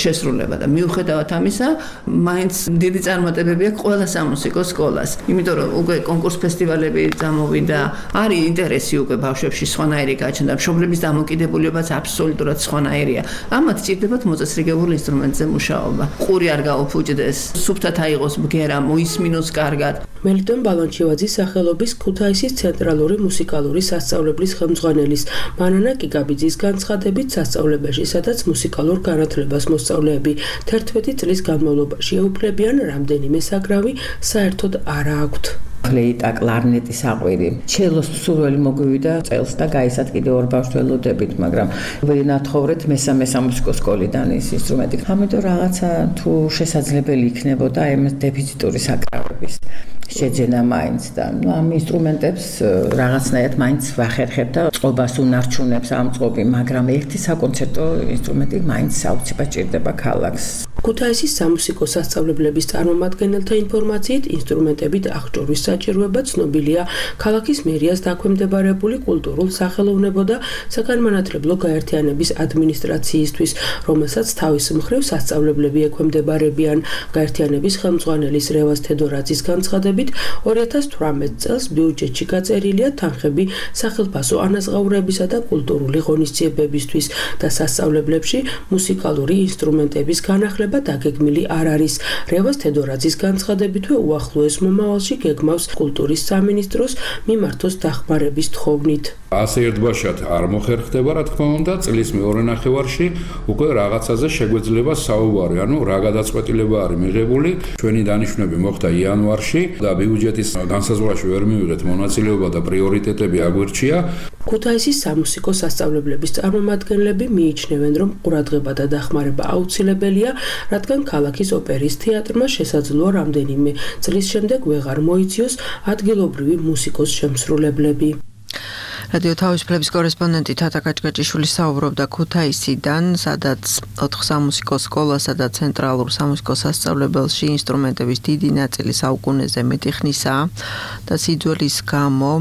შესრულება და მიუხედავად ამისა, მაინც დიდი წარმატებები აქვს ყველა სამუსიკო სკოლას. იმიტომ რომ უკვე კონკურს ფესტივალები წამოვიდა, არის ინტერესი უკვე ბავშვებში სხვანაირი გაჩნდა, მშობლების დამოკიდებულებაც აბსოლუტურად სხვანაირია. ამათ სჭირდებათ მოწესრიგებულ ინსტრუმენტზე მუშაობა. ყური არ გაუფუჭდეს, სუფთად აიღოს ბგერა, მოისმინოს კარგად. მელიტონ ბალანჩივაძის სახელობის ქუთაისის ცენტრალური მუსიკალური სასწავლებლის ხელმძღვანელის მანანა კიკაბიძის განცხადებით, სასწავლებელში, სადაც მუსიკალურ განათლებას მოსწავლეები თერთმეტი წლის განმავლობაში ეუფლებიან, რამდენიმე საკრავი საერთოდ არ აქვთ. ფლეიტა, კლარნეტი, საყვირი. ჩელოს მსურველი მოგვივიდა წელს და გაისად კიდევ ორ ბავშვს ველოდებით, მაგრამ ვინათხოვრეთ მესამე სამუსიკო სკოლიდან ის ინსტრუმენტი. ამიტომ რაღაცა თუ შესაძლებელი იქნებოდა ამ დეფიციტური საკრავების შეძენა მაინც და ნუ ამ ინსტრუმენტებს რაღაცნაირად მაინც ვახერხებ და წყობას უნარჩუნებს ამ წყობი, მაგრამ ერთი საკონცერტო ინსტრუმენტი მაინც საოცრად ჭირდება ქალაქს. ქუთაისის სამუსიკო სასწავლებლების წარმომადგენელთა ინფორმაციით, ინსტრუმენტებით აღჭურვის საჭიროება ცნობილია ქალაქის მერიას დაქვემდებარებული კულტურულ სახელოვნებო და საგანმანათლებლო გაერთიანების ადმინისტრაციისთვის, რომელსაც თავის მხრივ სასწავლებლები ექვემდებარებიან. გაერთიანების ხელმძღვანელის რევაზ თედორაძის განცხადებით, ორი ათას თვრამეტ წელს ბიუჯეტში გაწერილია თანხები სახელფასო ანაზღაურებისა და კულტურული ღონისძიებებისთვის და სასწავლებლებში მუსიკალური ინსტრუმენტების განახლება დაგეგმილი არ არის. რევაზ თედორაძის განცხადებითვე უახლოეს მომავალში გეგმავს კულტურის სამინისტროს მიმართოს დახმარების თხოვნით. ასე ერთბაშად არ მოხერხდება, რა თქმა უნდა, წლის მეორე ნახევარში უკვე რაღაცაზე შეგვეძლება საუბარი, ანუ რა გადაწყვეტილება არის მიღებული. ჩვენი დანიშვნები მოხდა იანვარში და ბიუჯეტის განსაზღვრაში ვერ მივიღეთ მონაწილეობა და პრიორიტეტები აგვირჩია. ქუთაისის სამუსიკო სასწავლებლების წარმომადგენლები მიიჩნევენ, რომ ყურადღება და დახმარება აუცილებელია, რადგან ქალაქის ოპერის თეატრმა შესაძლოა რამდენიმე წლის შემდეგ ვეღარ მოიციოს ადგილობრივი მუსიკოს შემსრულებლები. რადიო თავისუფლების კორესპონდენტი თათა კაჭკაჭიშვილი საუბრობდა ქუთაისიდან, სადაც ოთხ სამუსიკო სკოლასა და ცენტრალურ სამუსიკო სასწავლებელში ინსტრუმენტების დიდი ნაწილი საუკუნეზე მეტი ხნისაა და სიძველის გამო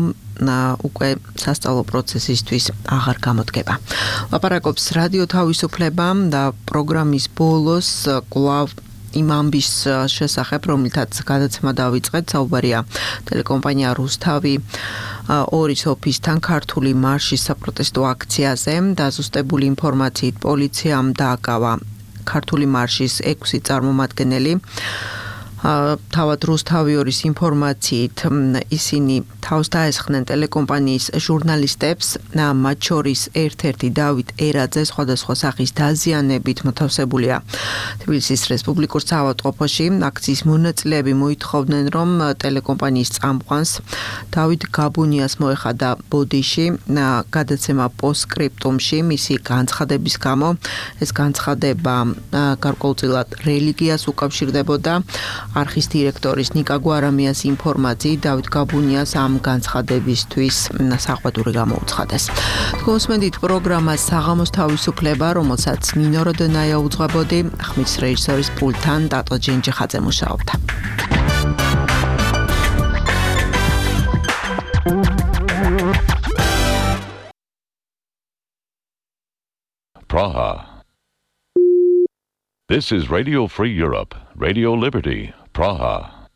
უკვე სასწავლო პროცესისთვის აღარ გამოდგება. ლაპარაკობს რადიო თავისუფლება და პროგრამის ბოლოს კვლავ იმ ამბის შესახებ, რომლითაც გადაცემა დავიწყეთ, საუბარია ტელეკომპანია რუსთავი ორის ოფისთან ქართული მარშის საპროტესტო აქციაზე. დაზუსტებული ინფორმაციით პოლიციამ დააკავა ქართული მარშის ექვსი წარმომადგენელი. თავად რუსთავი ორის ინფორმაციით ისინი თავს დაესხნენ ტელეკომპანიის ჟურნალისტებს, მათ შორის ერთ-ერთი დავით ერაძე სხვადასხვა სახის დაზიანებით მოთავსებულია თბილისის რესპუბლიკურ საავადმყოფოში. აქციის მონაწილეები მოითხოვდნენ, რომ ტელეკომპანიის წამყვანს დავით გაბუნიას მოეხადა ბოდიში გადაცემა პოსტსკრიპტუმში მისი განცხადების გამო. ეს განცხადება გარკვეულწილად რელიგიას უკავშირდებოდა. არხის დირექტორის ნიკა გვარამიას ინფორმაციით დავით გაბუნიას ამ განცხადებისთვის საყვედური გამოუცხადეს. გოსმენდით პროგრამა საღამოს თავისუფლება, რომელსაც ნინო როდენაია უძღვებოდი, ხმის რეჟისორის პულტთან დატო ჯენჯიხაძე მუშაობდა. Praha. This is Radio Free Europe, Radio Liberty, Praha.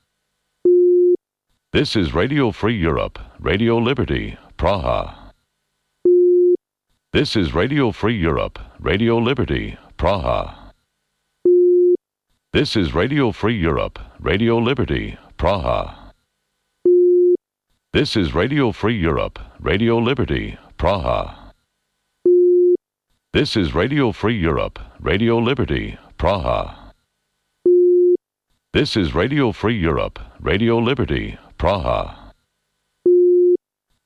This is Radio Free Europe, Radio Liberty, Praha. This is Radio Free Europe, Radio Liberty, Praha. This is Radio Free Europe, Radio Liberty, Praha. This is Radio Free Europe, Radio Liberty, Praha. This is Radio Free Europe, Radio Liberty, Praha. This is Radio Free Europe, Radio Liberty, Praha.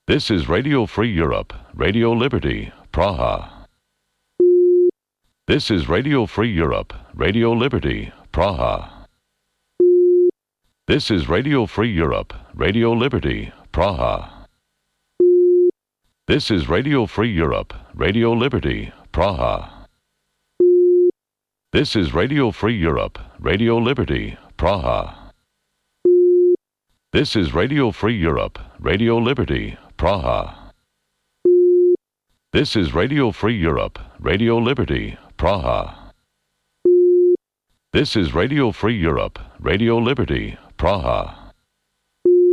This is Radio Free Europe, Radio Liberty, Praha. This is Radio Free Europe, Radio Liberty, Praha. This is Radio Free Europe, Radio Liberty, Praha. This is Radio Free Europe, Radio Liberty, Praha. This is Radio Free Europe, Radio Liberty, Praha. This is Radio Free Europe, Radio Liberty, Praha. This is Radio Free Europe, Radio Liberty, Praha.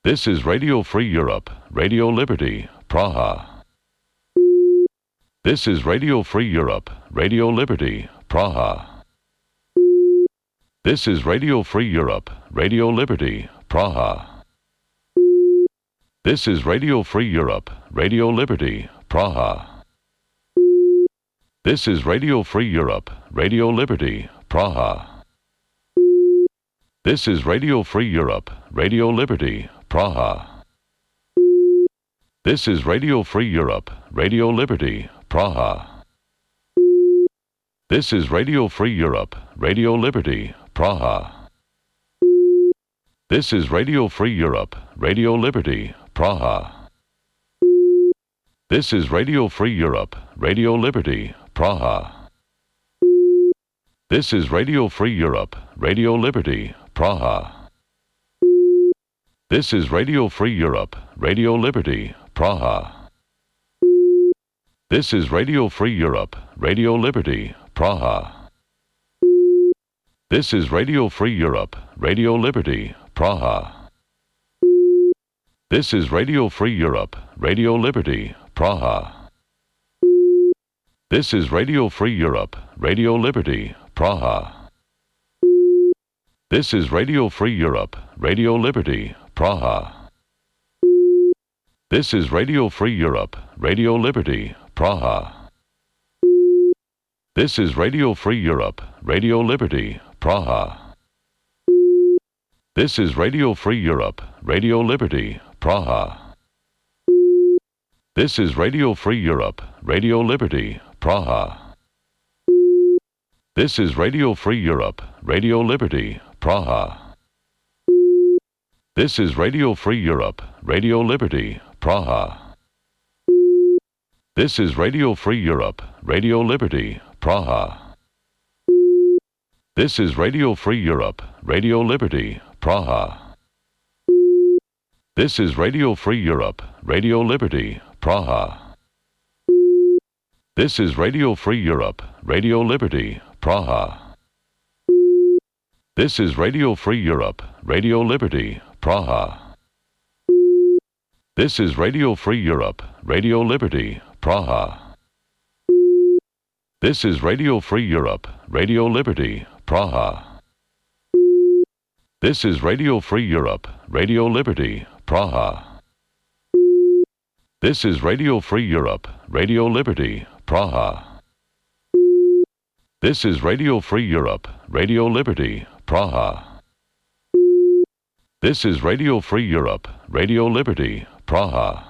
This is Radio Free Europe, Radio Liberty, Praha. This is Radio Free Europe, Radio Liberty, Praha. This is Radio Free Europe, Radio Liberty, Praha. This is Radio Free Europe, Radio Liberty, Praha. This is Radio Free Europe, Radio Liberty, Praha. This is Radio Free Europe, Radio Liberty, Praha. This is Radio Free Europe, Radio Liberty, Praha. This is Radio Free Europe, Radio Liberty, Praha. This is Radio Free Europe, Radio Liberty, Praha. This is Radio Free Europe, Radio Liberty, Praha. This is Radio Free Europe, Radio Liberty, Praha. This is Radio Free Europe, Radio Liberty, Praha. This is Radio Free Europe, Radio Liberty, Praha. This is Radio Free Europe, Radio Liberty, Praha. This is Radio Free Europe, Radio Liberty, Praha. This is Radio Free Europe, Radio Liberty, Praha. This is Radio Free Europe, Radio Liberty, Praha. This is Radio Free Europe, Radio Liberty, Praha. This is Radio Free Europe, Radio Liberty, Praha. This is Radio Free Europe, Radio Liberty, Praha. This is Radio Free Europe, Radio Liberty, Praha. This is Radio Free Europe, Radio Liberty, Praha. This is Radio Free Europe, Radio Liberty, Praha. This is Radio Free Europe, Radio Liberty, Praha. This is Radio Free Europe, Radio Liberty, Praha. This is Radio Free Europe, Radio Liberty, Praha. This is Radio Free Europe, Radio Liberty, Praha. This is Radio Free Europe, Radio Liberty, Praha. This is Radio Free Europe, Radio Liberty, Praha. This is Radio Free Europe, Radio Liberty, Praha. This is Radio Free Europe, Radio Liberty, Praha. This is Radio Free Europe, Radio Liberty, Praha. This is Radio Free Europe, Radio Liberty, Praha. This is Radio Free Europe, Radio Liberty, Praha. This is Radio Free Europe, Radio Liberty, Praha.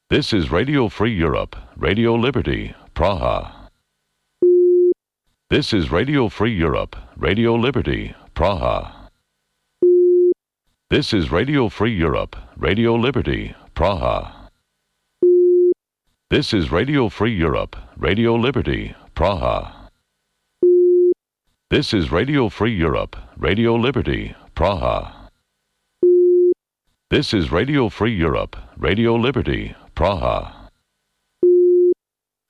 This is Radio Free Europe, Radio Liberty, Praha. This is Radio Free Europe, Radio Liberty, Praha. This is Radio Free Europe, Radio Liberty, Praha. This is Radio Free Europe, Radio Liberty, Praha. This is Radio Free Europe, Radio Liberty, Praha. This is Radio Free Europe, Radio Liberty, Praha.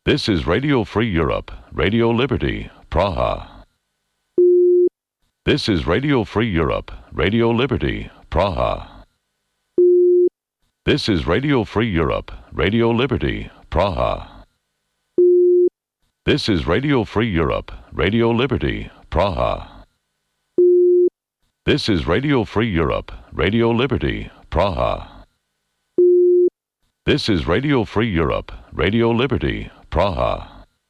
This is Radio Free Europe, Radio Liberty, Praha. This is Radio Free Europe, Radio Liberty, Praha. This is Radio Free Europe, Radio Liberty, Praha. This is Radio Free Europe, Radio Liberty, Praha. This is Radio Free Europe, Radio Liberty, Praha. This is Radio Free Europe, Radio Liberty, Praha.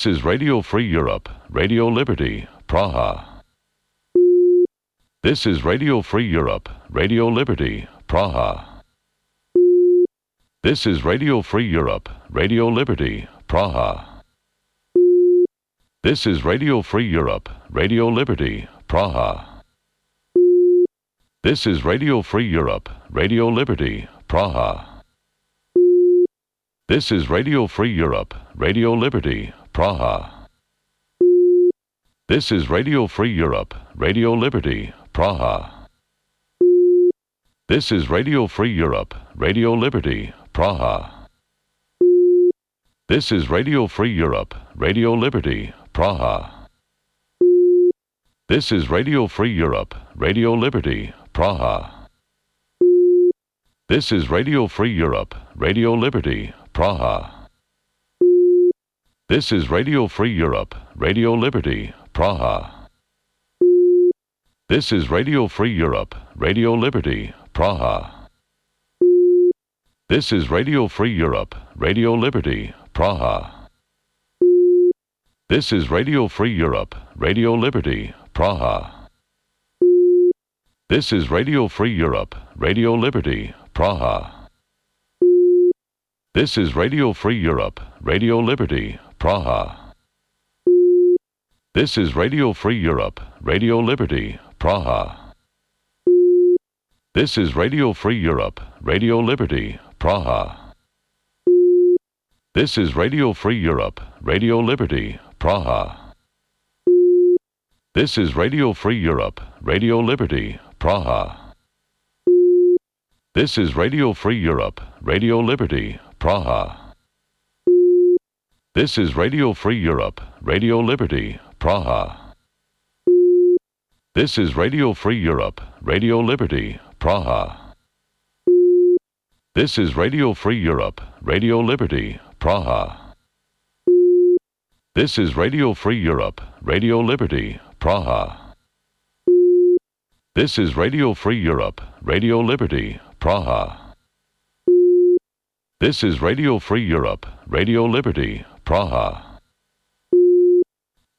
This is Radio Free Europe, Radio Liberty, Praha. This is Radio Free Europe, Radio Liberty, Praha. This is Radio Free Europe, Radio Liberty, Praha. This is Radio Free Europe, Radio Liberty, Praha. This is Radio Free Europe, Radio Liberty, Praha. This is Radio Free Europe, Radio Liberty, Praha. This is Radio Free Europe, Radio Liberty, Praha. This is Radio Free Europe, Radio Liberty, Praha. This is Radio Free Europe, Radio Liberty, Praha. This is Radio Free Europe, Radio Liberty, Praha. This is Radio Free Europe, Radio Liberty, Praha. This is Radio Free Europe, Radio Liberty, Praha. This is Radio Free Europe, Radio Liberty, Praha. This is Radio Free Europe, Radio Liberty, Praha. This is Radio Free Europe, Radio Liberty, Praha. This is Radio Free Europe, Radio Liberty, Praha. This is Radio Free Europe, Radio Liberty, Praha. This is Radio Free Europe, Radio Liberty, Praha. This is Radio Free Europe, Radio Liberty, Praha. This is Radio Free Europe, Radio Liberty, Praha. This is Radio Free Europe, Radio Liberty, Praha. This is Radio Free Europe, Radio Liberty, Praha. This is Radio Free Europe, Radio Liberty, Praha. This is Radio Free Europe, Radio Liberty, Praha. This is Radio Free Europe, Radio Liberty, Praha. This is Radio Free Europe, Radio Liberty, Praha. This is Radio Free Europe, Radio Liberty, Praha. This is Radio Free Europe, Radio Liberty, Praha.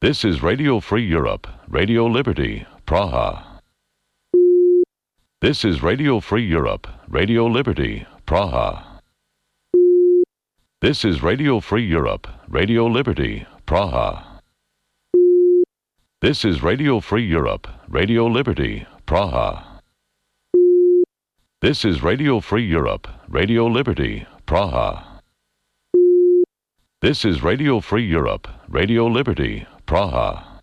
This is Radio Free Europe, Radio Liberty, Praha. This is Radio Free Europe, Radio Liberty, Praha. This is Radio Free Europe, Radio Liberty, Praha. This is Radio Free Europe, Radio Liberty, Praha. This is Radio Free Europe, Radio Liberty, Praha. This is Radio Free Europe, Radio Liberty, Praha.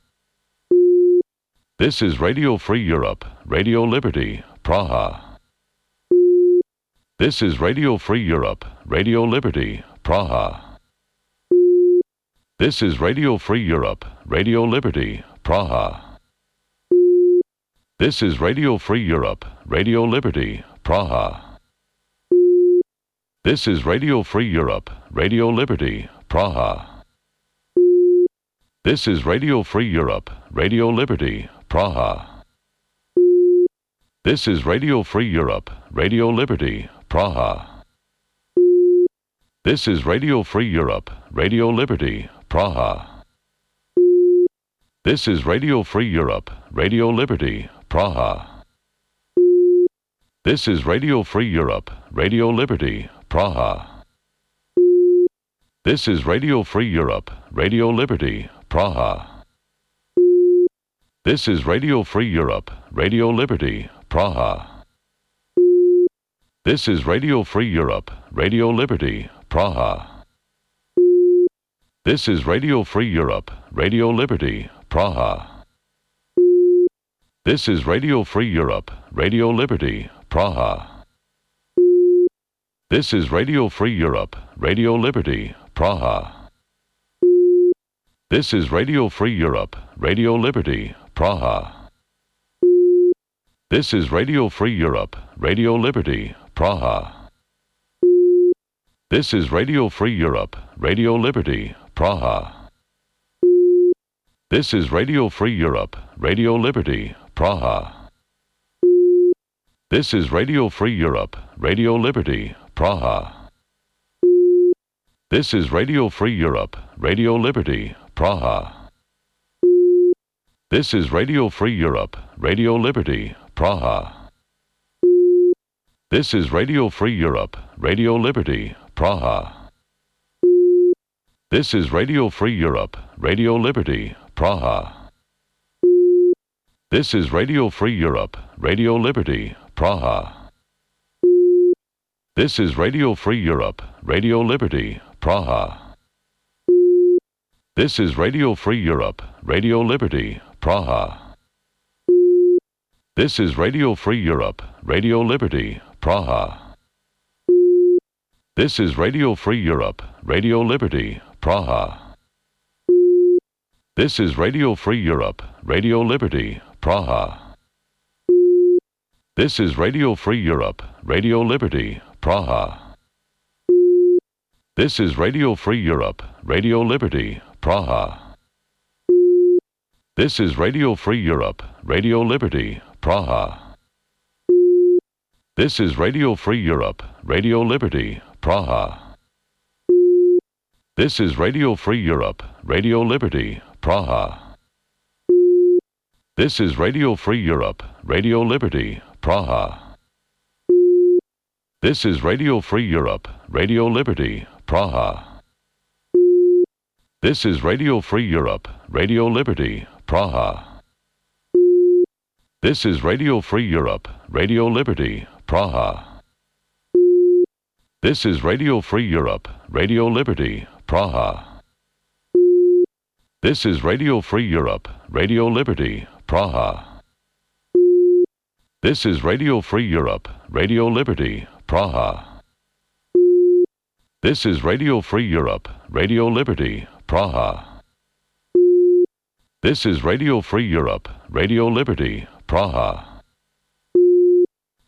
This is Radio Free Europe, Radio Liberty, Praha. This is Radio Free Europe, Radio Liberty, Praha. This is Radio Free Europe, Radio Liberty, Praha. This is Radio Free Europe, Radio Liberty, Praha. This is Radio Free Europe, Radio Liberty, Praha. This is Radio Free Europe, Radio Liberty, Praha. This is Radio Free Europe, Radio Liberty, Praha. This is Radio Free Europe, Radio Liberty, Praha. This is Radio Free Europe, Radio Liberty, Praha. This is Radio Free Europe, Radio Liberty, Praha. This is Radio Free Europe, Radio Liberty, Praha. This is Radio Free Europe, Radio Liberty, Praha. This is Radio Free Europe, Radio Liberty, Praha. This is Radio Free Europe, Radio Liberty, Praha. This is Radio Free Europe, Radio Liberty, Praha. This is Radio Free Europe, Radio Liberty, Praha. This is Radio Free Europe, Radio Liberty, Praha. This is Radio Free Europe, Radio Liberty, Praha. This is Radio Free Europe, Radio Liberty, Praha. This is Radio Free Europe, Radio Liberty, Praha. This is Radio Free Europe, Radio Liberty, Praha. This is Radio Free Europe, Radio Liberty, Praha. This is Radio Free Europe, Radio Liberty, Praha. This is Radio Free Europe, Radio Liberty, Praha. This is Radio Free Europe, Radio Liberty, Praha. This is Radio Free Europe, Radio Liberty, Praha. This is Radio Free Europe, Radio Liberty, Praha. This is Radio Free Europe, Radio Liberty, Praha. This is Radio Free Europe, Radio Liberty, Praha. This is Radio Free Europe, Radio Liberty, Praha. This is Radio Free Europe, Radio Liberty, Praha. This is Radio Free Europe, Radio Liberty, Praha. This is Radio Free Europe, Radio Liberty, Praha. This is Radio Free Europe, Radio Liberty, Praha. This is Radio Free Europe, Radio Liberty, Praha. This is Radio Free Europe, Radio Liberty, Praha. This is Radio Free Europe, Radio Liberty, Praha. This is Radio Free Europe, Radio Liberty, Praha. This is Radio Free Europe, Radio Liberty, Praha. This is Radio Free Europe, Radio Liberty, Praha. This is Radio Free Europe, Radio Liberty, Praha. This is Radio Free Europe, Radio Liberty, Praha. This is Radio Free Europe, Radio Liberty, Praha. This is Radio Free Europe, Radio Liberty, Praha. This is Radio Free Europe, Radio Liberty, Praha.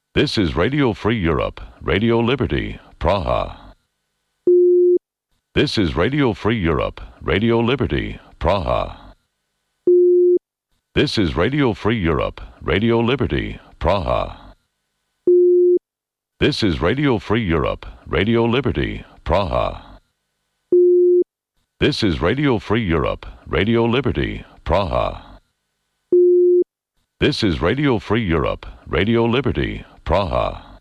This is Radio Free Europe, Radio Liberty, Praha. This is Radio Free Europe, Radio Liberty, Praha. This is Radio Free Europe, Radio Liberty, Praha. This is Radio Free Europe, Radio Liberty, Praha. This is Radio Free Europe, Radio Liberty, Praha. This is Radio Free Europe, Radio Liberty, Praha.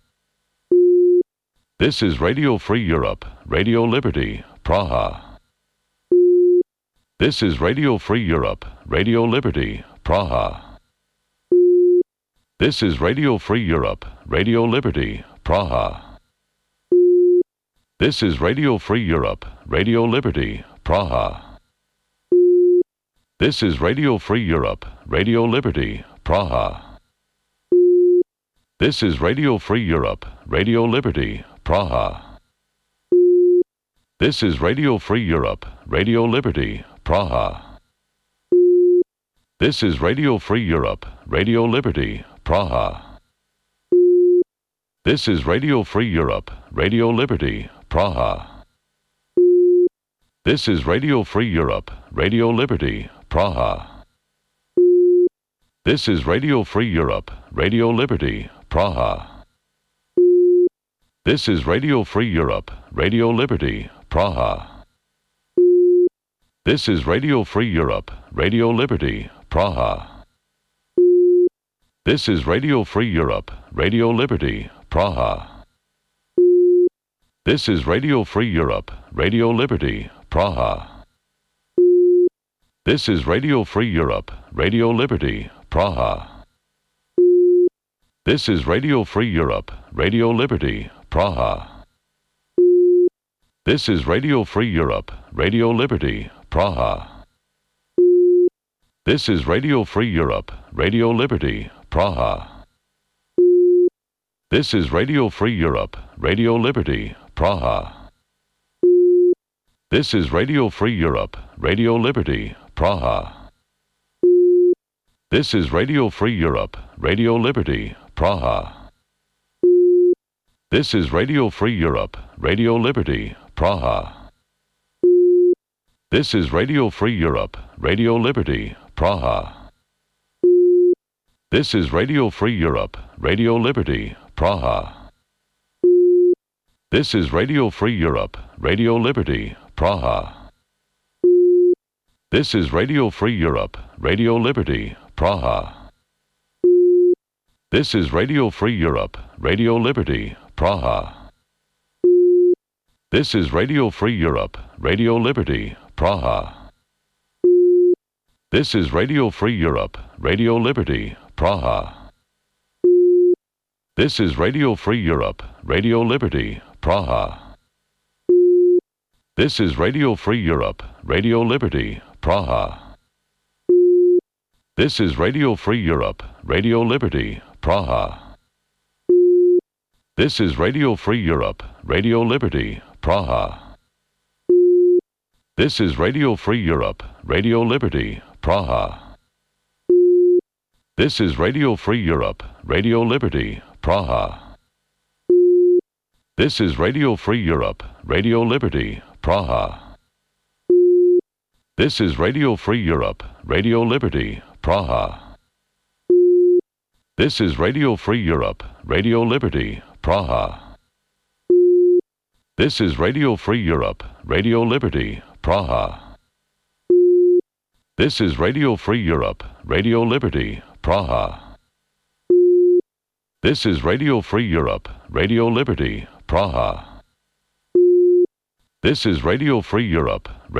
This is Radio Free Europe, Radio Liberty, Praha. This is Radio Free Europe, Radio Liberty, Praha. This is Radio Free Europe, Radio Liberty, Praha. This is Radio Free Europe, Radio Liberty, Praha. This is Radio Free Europe, Radio Liberty, Praha. This is Radio Free Europe, Radio Liberty, Praha. This is Radio Free Europe, Radio Liberty, Praha. This is Radio Free Europe, Radio Liberty, Praha. This is Radio Free Europe, Radio Liberty, Praha. This is Radio Free Europe, Radio Liberty, Praha. This is Radio Free Europe, Radio Liberty, Praha. This is Radio Free Europe, Radio Liberty, Praha. This is Radio Free Europe, Radio Liberty, Praha. This is Radio Free Europe, Radio Liberty, Praha. This is Radio Free Europe, Radio Liberty, Praha. This is Radio Free Europe, Radio Liberty, Praha. This is Radio Free Europe, Radio Liberty, Praha. This is Radio Free Europe, Radio Liberty, Praha. This is Radio Free Europe, Radio Liberty, Praha. This is Radio Free Europe, Radio Liberty, Praha. This is Radio Free Europe, Radio Liberty, Praha. This is Radio Free Europe, Radio Liberty, Praha. This is Radio Free Europe, Radio Liberty, Praha. This is Radio Free Europe, Radio Liberty, Praha. This is Radio Free Europe, Radio Liberty, Praha. This is Radio Free Europe, Radio Liberty, Praha. This is Radio Free Europe, Radio Liberty, Praha. This is Radio Free Europe, Radio Liberty, Praha. This is Radio Free Europe, Radio Liberty, Praha. This is Radio Free Europe, Radio Liberty, Praha. This is Radio Free Europe, Radio Liberty, Praha. This is Radio Free Europe, Radio Liberty, Praha. This is Radio Free Europe, Radio Liberty, Praha. This is Radio Free Europe, Radio Liberty, Praha. This is Radio Free Europe, Radio Liberty, Praha. This is Radio Free Europe, Radio Liberty, Praha. This is Radio Free Europe, Radio Liberty, Praha. This is Radio Free Europe, Radio Liberty, Praha. This is Radio Free Europe, Radio Liberty, Praha. This is Radio Free Europe, Radio Liberty, Praha. This is Radio Free Europe, Radio Liberty, Praha. This is Radio Free Europe, Radio Liberty, Praha. This is Radio Free Europe, Radio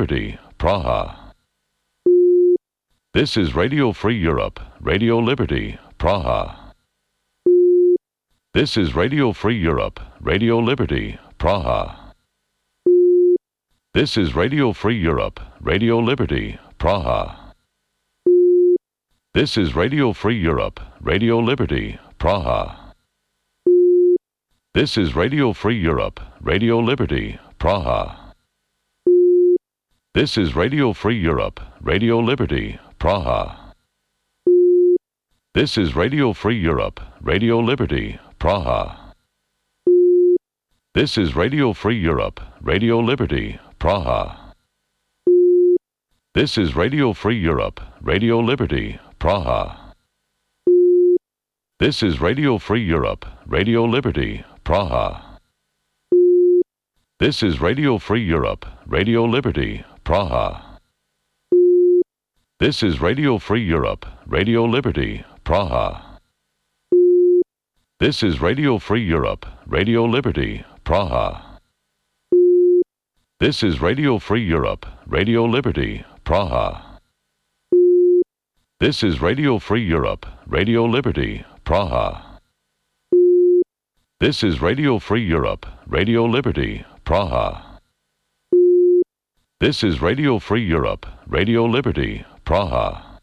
Liberty, Praha. This is Radio Free Europe, Radio Liberty, Praha. This is Radio Free Europe, Radio Liberty, Praha. This is Radio Free Europe, Radio Liberty, Praha. This is Radio Free Europe, Radio Liberty, Praha. This is Radio Free Europe, Radio Liberty, Praha. This is Radio Free Europe, Radio Liberty, Praha. This is Radio Free Europe, Radio Liberty, Praha. This is Radio Free Europe, Radio Liberty, Praha. This is Radio Free Europe, Radio Liberty, Praha. This is Radio Free Europe, Radio Liberty, Praha. This is Radio Free Europe, Radio Liberty, Praha. This is Radio Free Europe, Radio Liberty, Praha. This is Radio Free Europe, Radio Liberty, Praha. This is Radio Free Europe, Radio Liberty, Praha. This is Radio Free Europe, Radio Liberty, Praha. This is Radio Free Europe, Radio Liberty, Praha. This is Radio Free Europe, Radio Liberty, Praha.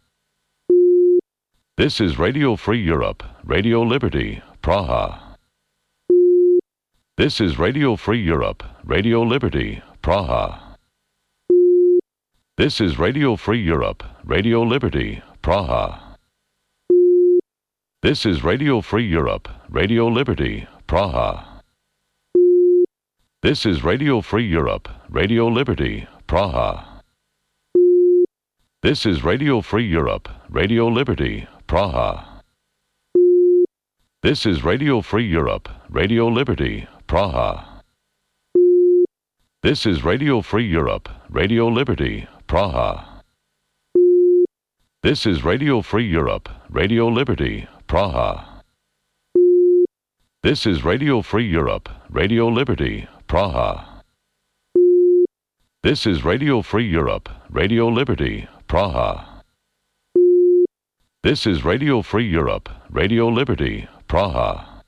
This is Radio Free Europe, Radio Liberty, Praha. This is Radio Free Europe, Radio Liberty, Praha. This is Radio Free Europe, Radio Liberty, Praha. This is Radio Free Europe, Radio Liberty, Praha. This is Radio Free Europe, Radio Liberty, Praha. This is Radio Free Europe, Radio Liberty, Praha. This is Radio Free Europe, Radio Liberty, Praha. This is Radio Free Europe, Radio Liberty, Praha. This is Radio Free Europe, Radio Liberty, Praha. This is Radio Free Europe, Radio Liberty, Praha. This is Radio Free Europe, Radio Liberty, Praha. This is Radio Free Europe, Radio Liberty, Praha.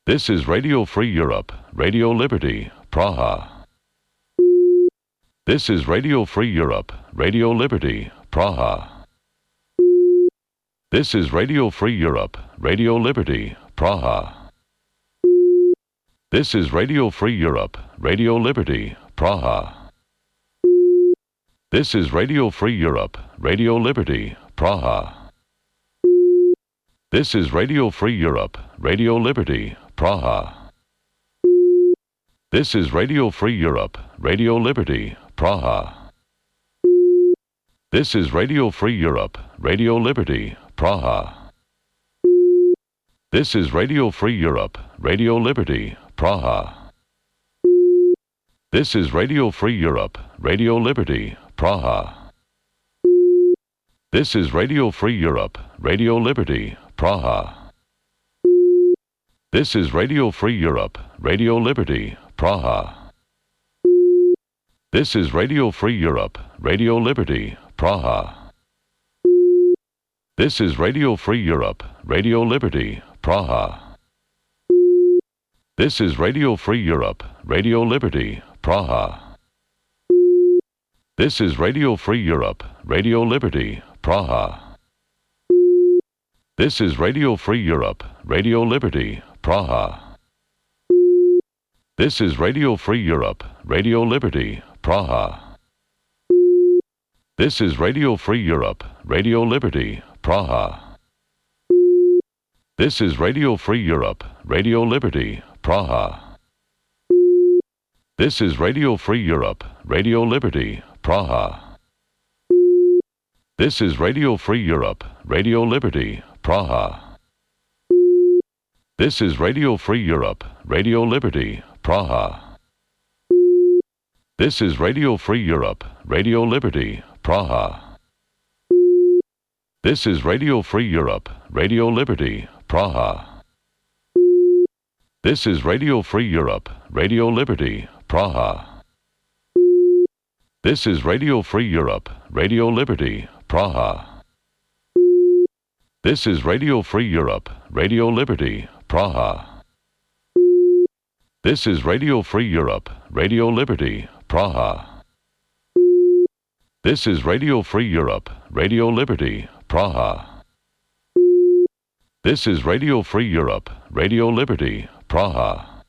This is Radio Free Europe, Radio Liberty, Praha. This is Radio Free Europe, Radio Liberty, Praha. This is Radio Free Europe, Radio Liberty, Praha. This is Radio Free Europe, Radio Liberty, Praha. This is Radio Free Europe, Radio Liberty, Praha. This is Radio Free Europe, Radio Liberty, Praha. This is Radio Free Europe, Radio Liberty, Praha. This is Radio Free Europe, Radio Liberty, Praha. This is Radio Free Europe, Radio Liberty, Praha. This is Radio Free Europe, Radio Liberty, Praha. This is Radio Free Europe, Radio Liberty, Praha. This is Radio Free Europe, Radio Liberty, Praha. This is Radio Free Europe, Radio Liberty, Praha. This is Radio Free Europe, Radio Liberty, Praha. This is Radio Free Europe, Radio Liberty, Praha. This is Radio Free Europe, Radio Liberty, Praha. This is Radio Free Europe, Radio Liberty, Praha. This is Radio Free Europe, Radio Liberty, Praha. This is Radio Free Europe, Radio Liberty, Praha. This is Radio Free Europe, Radio Liberty, Praha. This is Radio Free Europe, Radio Liberty, Praha. This is Radio Free Europe, Radio Liberty, Praha. This is Radio Free Europe, Radio Liberty, Praha. This is Radio Free Europe, Radio Liberty, Praha. This is Radio Free Europe, Radio Liberty, Praha. This is Radio Free Europe, Radio Liberty, Praha. This is Radio Free Europe, Radio Liberty, Praha. This is Radio Free Europe, Radio Liberty, Praha. This is Radio Free Europe, Radio Liberty, Praha. This is Radio Free Europe, Radio Liberty, Praha. This is Radio Free Europe, Radio Liberty, Praha.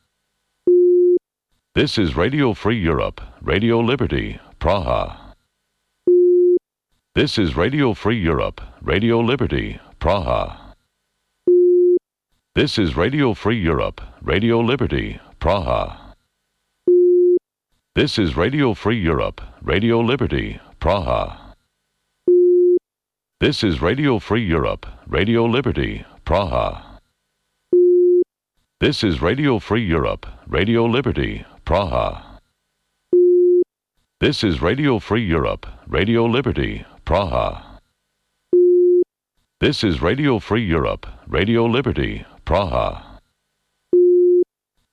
This is Radio Free Europe, Radio Liberty, Praha. This is Radio Free Europe, Radio Liberty, Praha. This is Radio Free Europe, Radio Liberty, Praha. This is Radio Free Europe, Radio Liberty, Praha. This is Radio Free Europe, Radio Liberty, Praha. This is Radio Free Europe, Radio Liberty, Praha. This is Radio Free Europe, Radio Liberty, Praha. This is Radio Free Europe, Radio Liberty, Praha.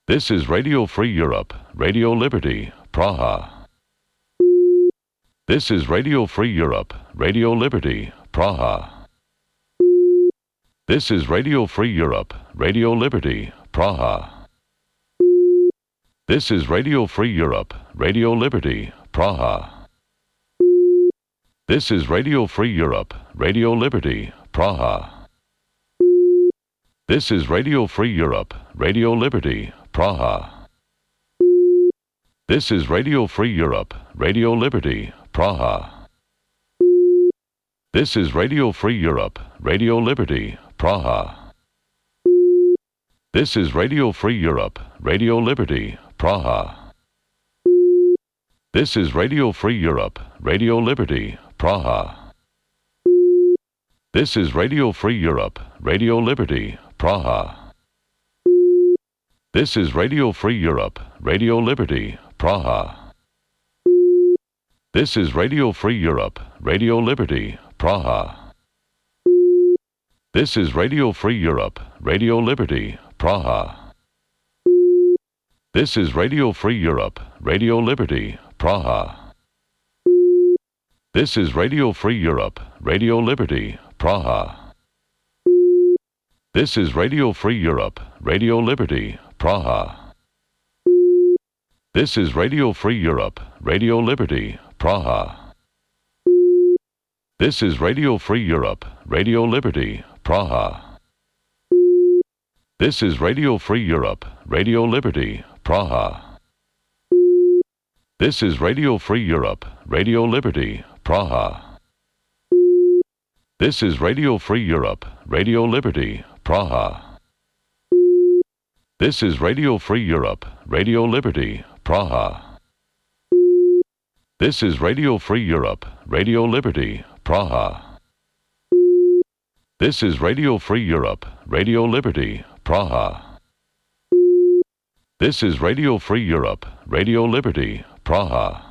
This is Radio Free Europe, Radio Liberty, Praha. This is Radio Free Europe, Radio Liberty, Praha. This is Radio Free Europe, Radio Liberty, Praha. This is Radio Free Europe, Radio Liberty, Praha. This is Radio Free Europe, Radio Liberty, Praha. This is Radio Free Europe, Radio Liberty, Praha. This is Radio Free Europe, Radio Liberty, Praha. This is Radio Free Europe, Radio Liberty, Praha. This is Radio Free Europe, Radio Liberty, Praha. This is Radio Free Europe, Radio Liberty, Praha. This is Radio Free Europe, Radio Liberty, Praha. This is Radio Free Europe, Radio Liberty, Praha. This is Radio Free Europe, Radio Liberty, Praha. This is Radio Free Europe, Radio Liberty, Praha. This is Radio Free Europe, Radio Liberty, Praha. This is Radio Free Europe, Radio Liberty, Praha. This is Radio Free Europe, Radio Liberty, Praha. This is Radio Free Europe, Radio Liberty, Praha. This is Radio Free Europe, Radio Liberty, Praha. This is Radio Free Europe, Radio Liberty, Praha. This is Radio Free Europe, Radio Liberty, Praha. This is Radio Free Europe, Radio Liberty, Praha. This is Radio Free Europe, Radio Liberty, Praha. This is Radio Free Europe, Radio Liberty, Praha. This is Radio Free Europe, Radio Liberty, Praha. This is Radio Free Europe, Radio Liberty, Praha.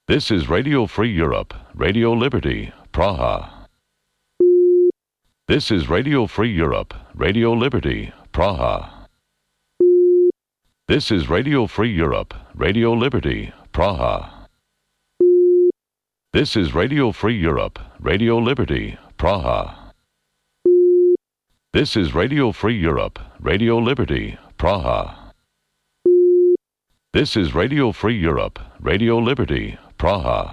This is Radio Free Europe, Radio Liberty, Praha. This is Radio Free Europe, Radio Liberty, Praha. This is Radio Free Europe, Radio Liberty, Praha. This is Radio Free Europe, Radio Liberty, Praha. This is Radio Free Europe, Radio Liberty, Praha. This is Radio Free Europe, Radio Liberty, Praha.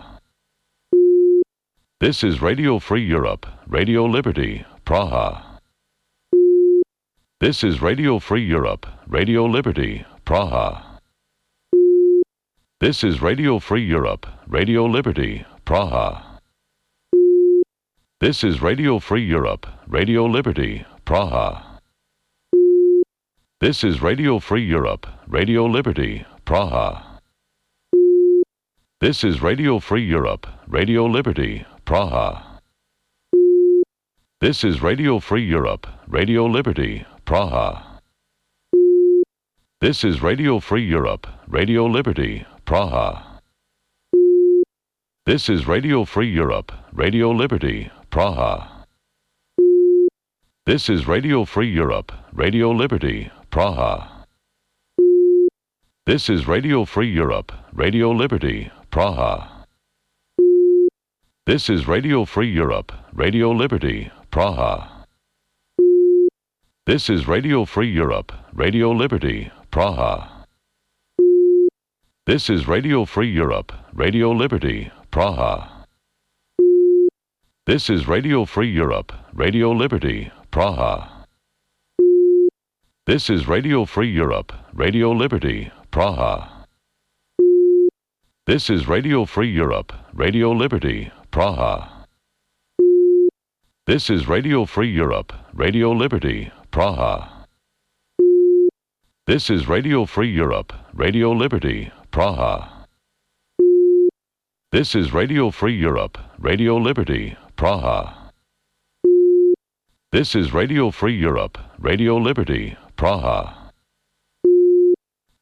This is Radio Free Europe, Radio Liberty, Praha. This is Radio Free Europe, Radio Liberty, Praha. This is Radio Free Europe, Radio Liberty, Praha. This is Radio Free Europe, Radio Liberty, Praha. This is Radio Free Europe, Radio Liberty, Praha. This is Radio Free Europe, Radio Liberty, Praha. This is Radio Free Europe, Radio Liberty, Praha. This is Radio Free Europe, Radio Liberty, Praha. This is Radio Free Europe, Radio Liberty, Praha. This is Radio Free Europe, Radio Liberty, Praha. This is Radio Free Europe, Radio Liberty, Praha. This is Radio Free Europe, Radio Liberty, Praha. This is Radio Free Europe, Radio Liberty, Praha. This is Radio Free Europe, Radio Liberty, Praha. This is Radio Free Europe, Radio Liberty, Praha. This is Radio Free Europe, Radio Liberty, Praha. This is Radio Free Europe, Radio Liberty, Praha. This is Radio Free Europe, Radio Liberty, Praha. This is Radio Free Europe, Radio Liberty, Praha. This is Radio Free Europe, Radio Liberty, Praha. This is Radio Free Europe, Radio Liberty, Praha.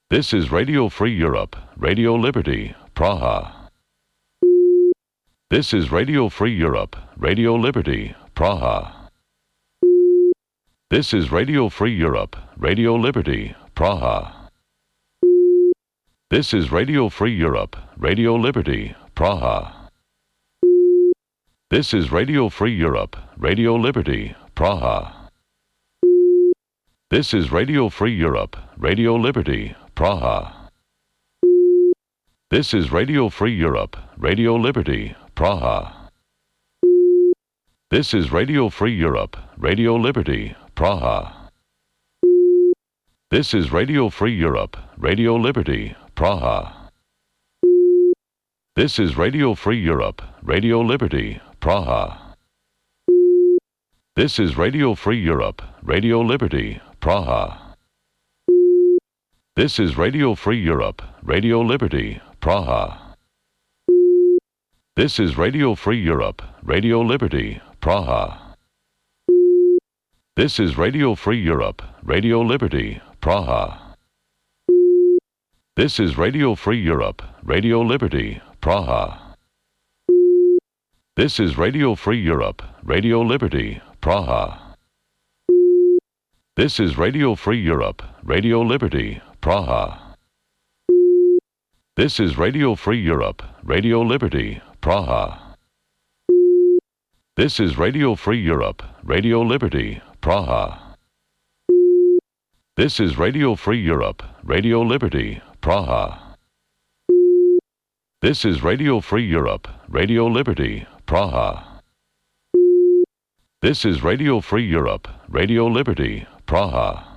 This is Radio Free Europe, Radio Liberty, Praha. This is Radio Free Europe, Radio Liberty, Praha. This is Radio Free Europe, Radio Liberty, Praha. This is Radio Free Europe, Radio Liberty, Praha. This is Radio Free Europe, Radio Liberty, Praha. This is Radio Free Europe, Radio Liberty, Praha. This is Radio Free Europe, Radio Liberty, Praha. This is Radio Free Europe, Radio Liberty, Praha. This is Radio Free Europe, Radio Liberty, Praha. This is Radio Free Europe, Radio Liberty, Praha. This is Radio Free Europe, Radio Liberty, Praha. This is Radio Free Europe, Radio Liberty, Praha. This is Radio Free Europe, Radio Liberty, Praha. This is Radio Free Europe, Radio Liberty, Praha. This is Radio Free Europe, Radio Liberty, Praha. This is Radio Free Europe, Radio Liberty, Praha. This is Radio Free Europe, Radio Liberty, Praha. This is Radio Free Europe, Radio Liberty, Praha. This is Radio Free Europe, Radio Liberty, Praha. This is Radio Free Europe, Radio Liberty, Praha. This is Radio Free Europe, Radio Liberty, Praha. This is Radio Free Europe, Radio Liberty, Praha.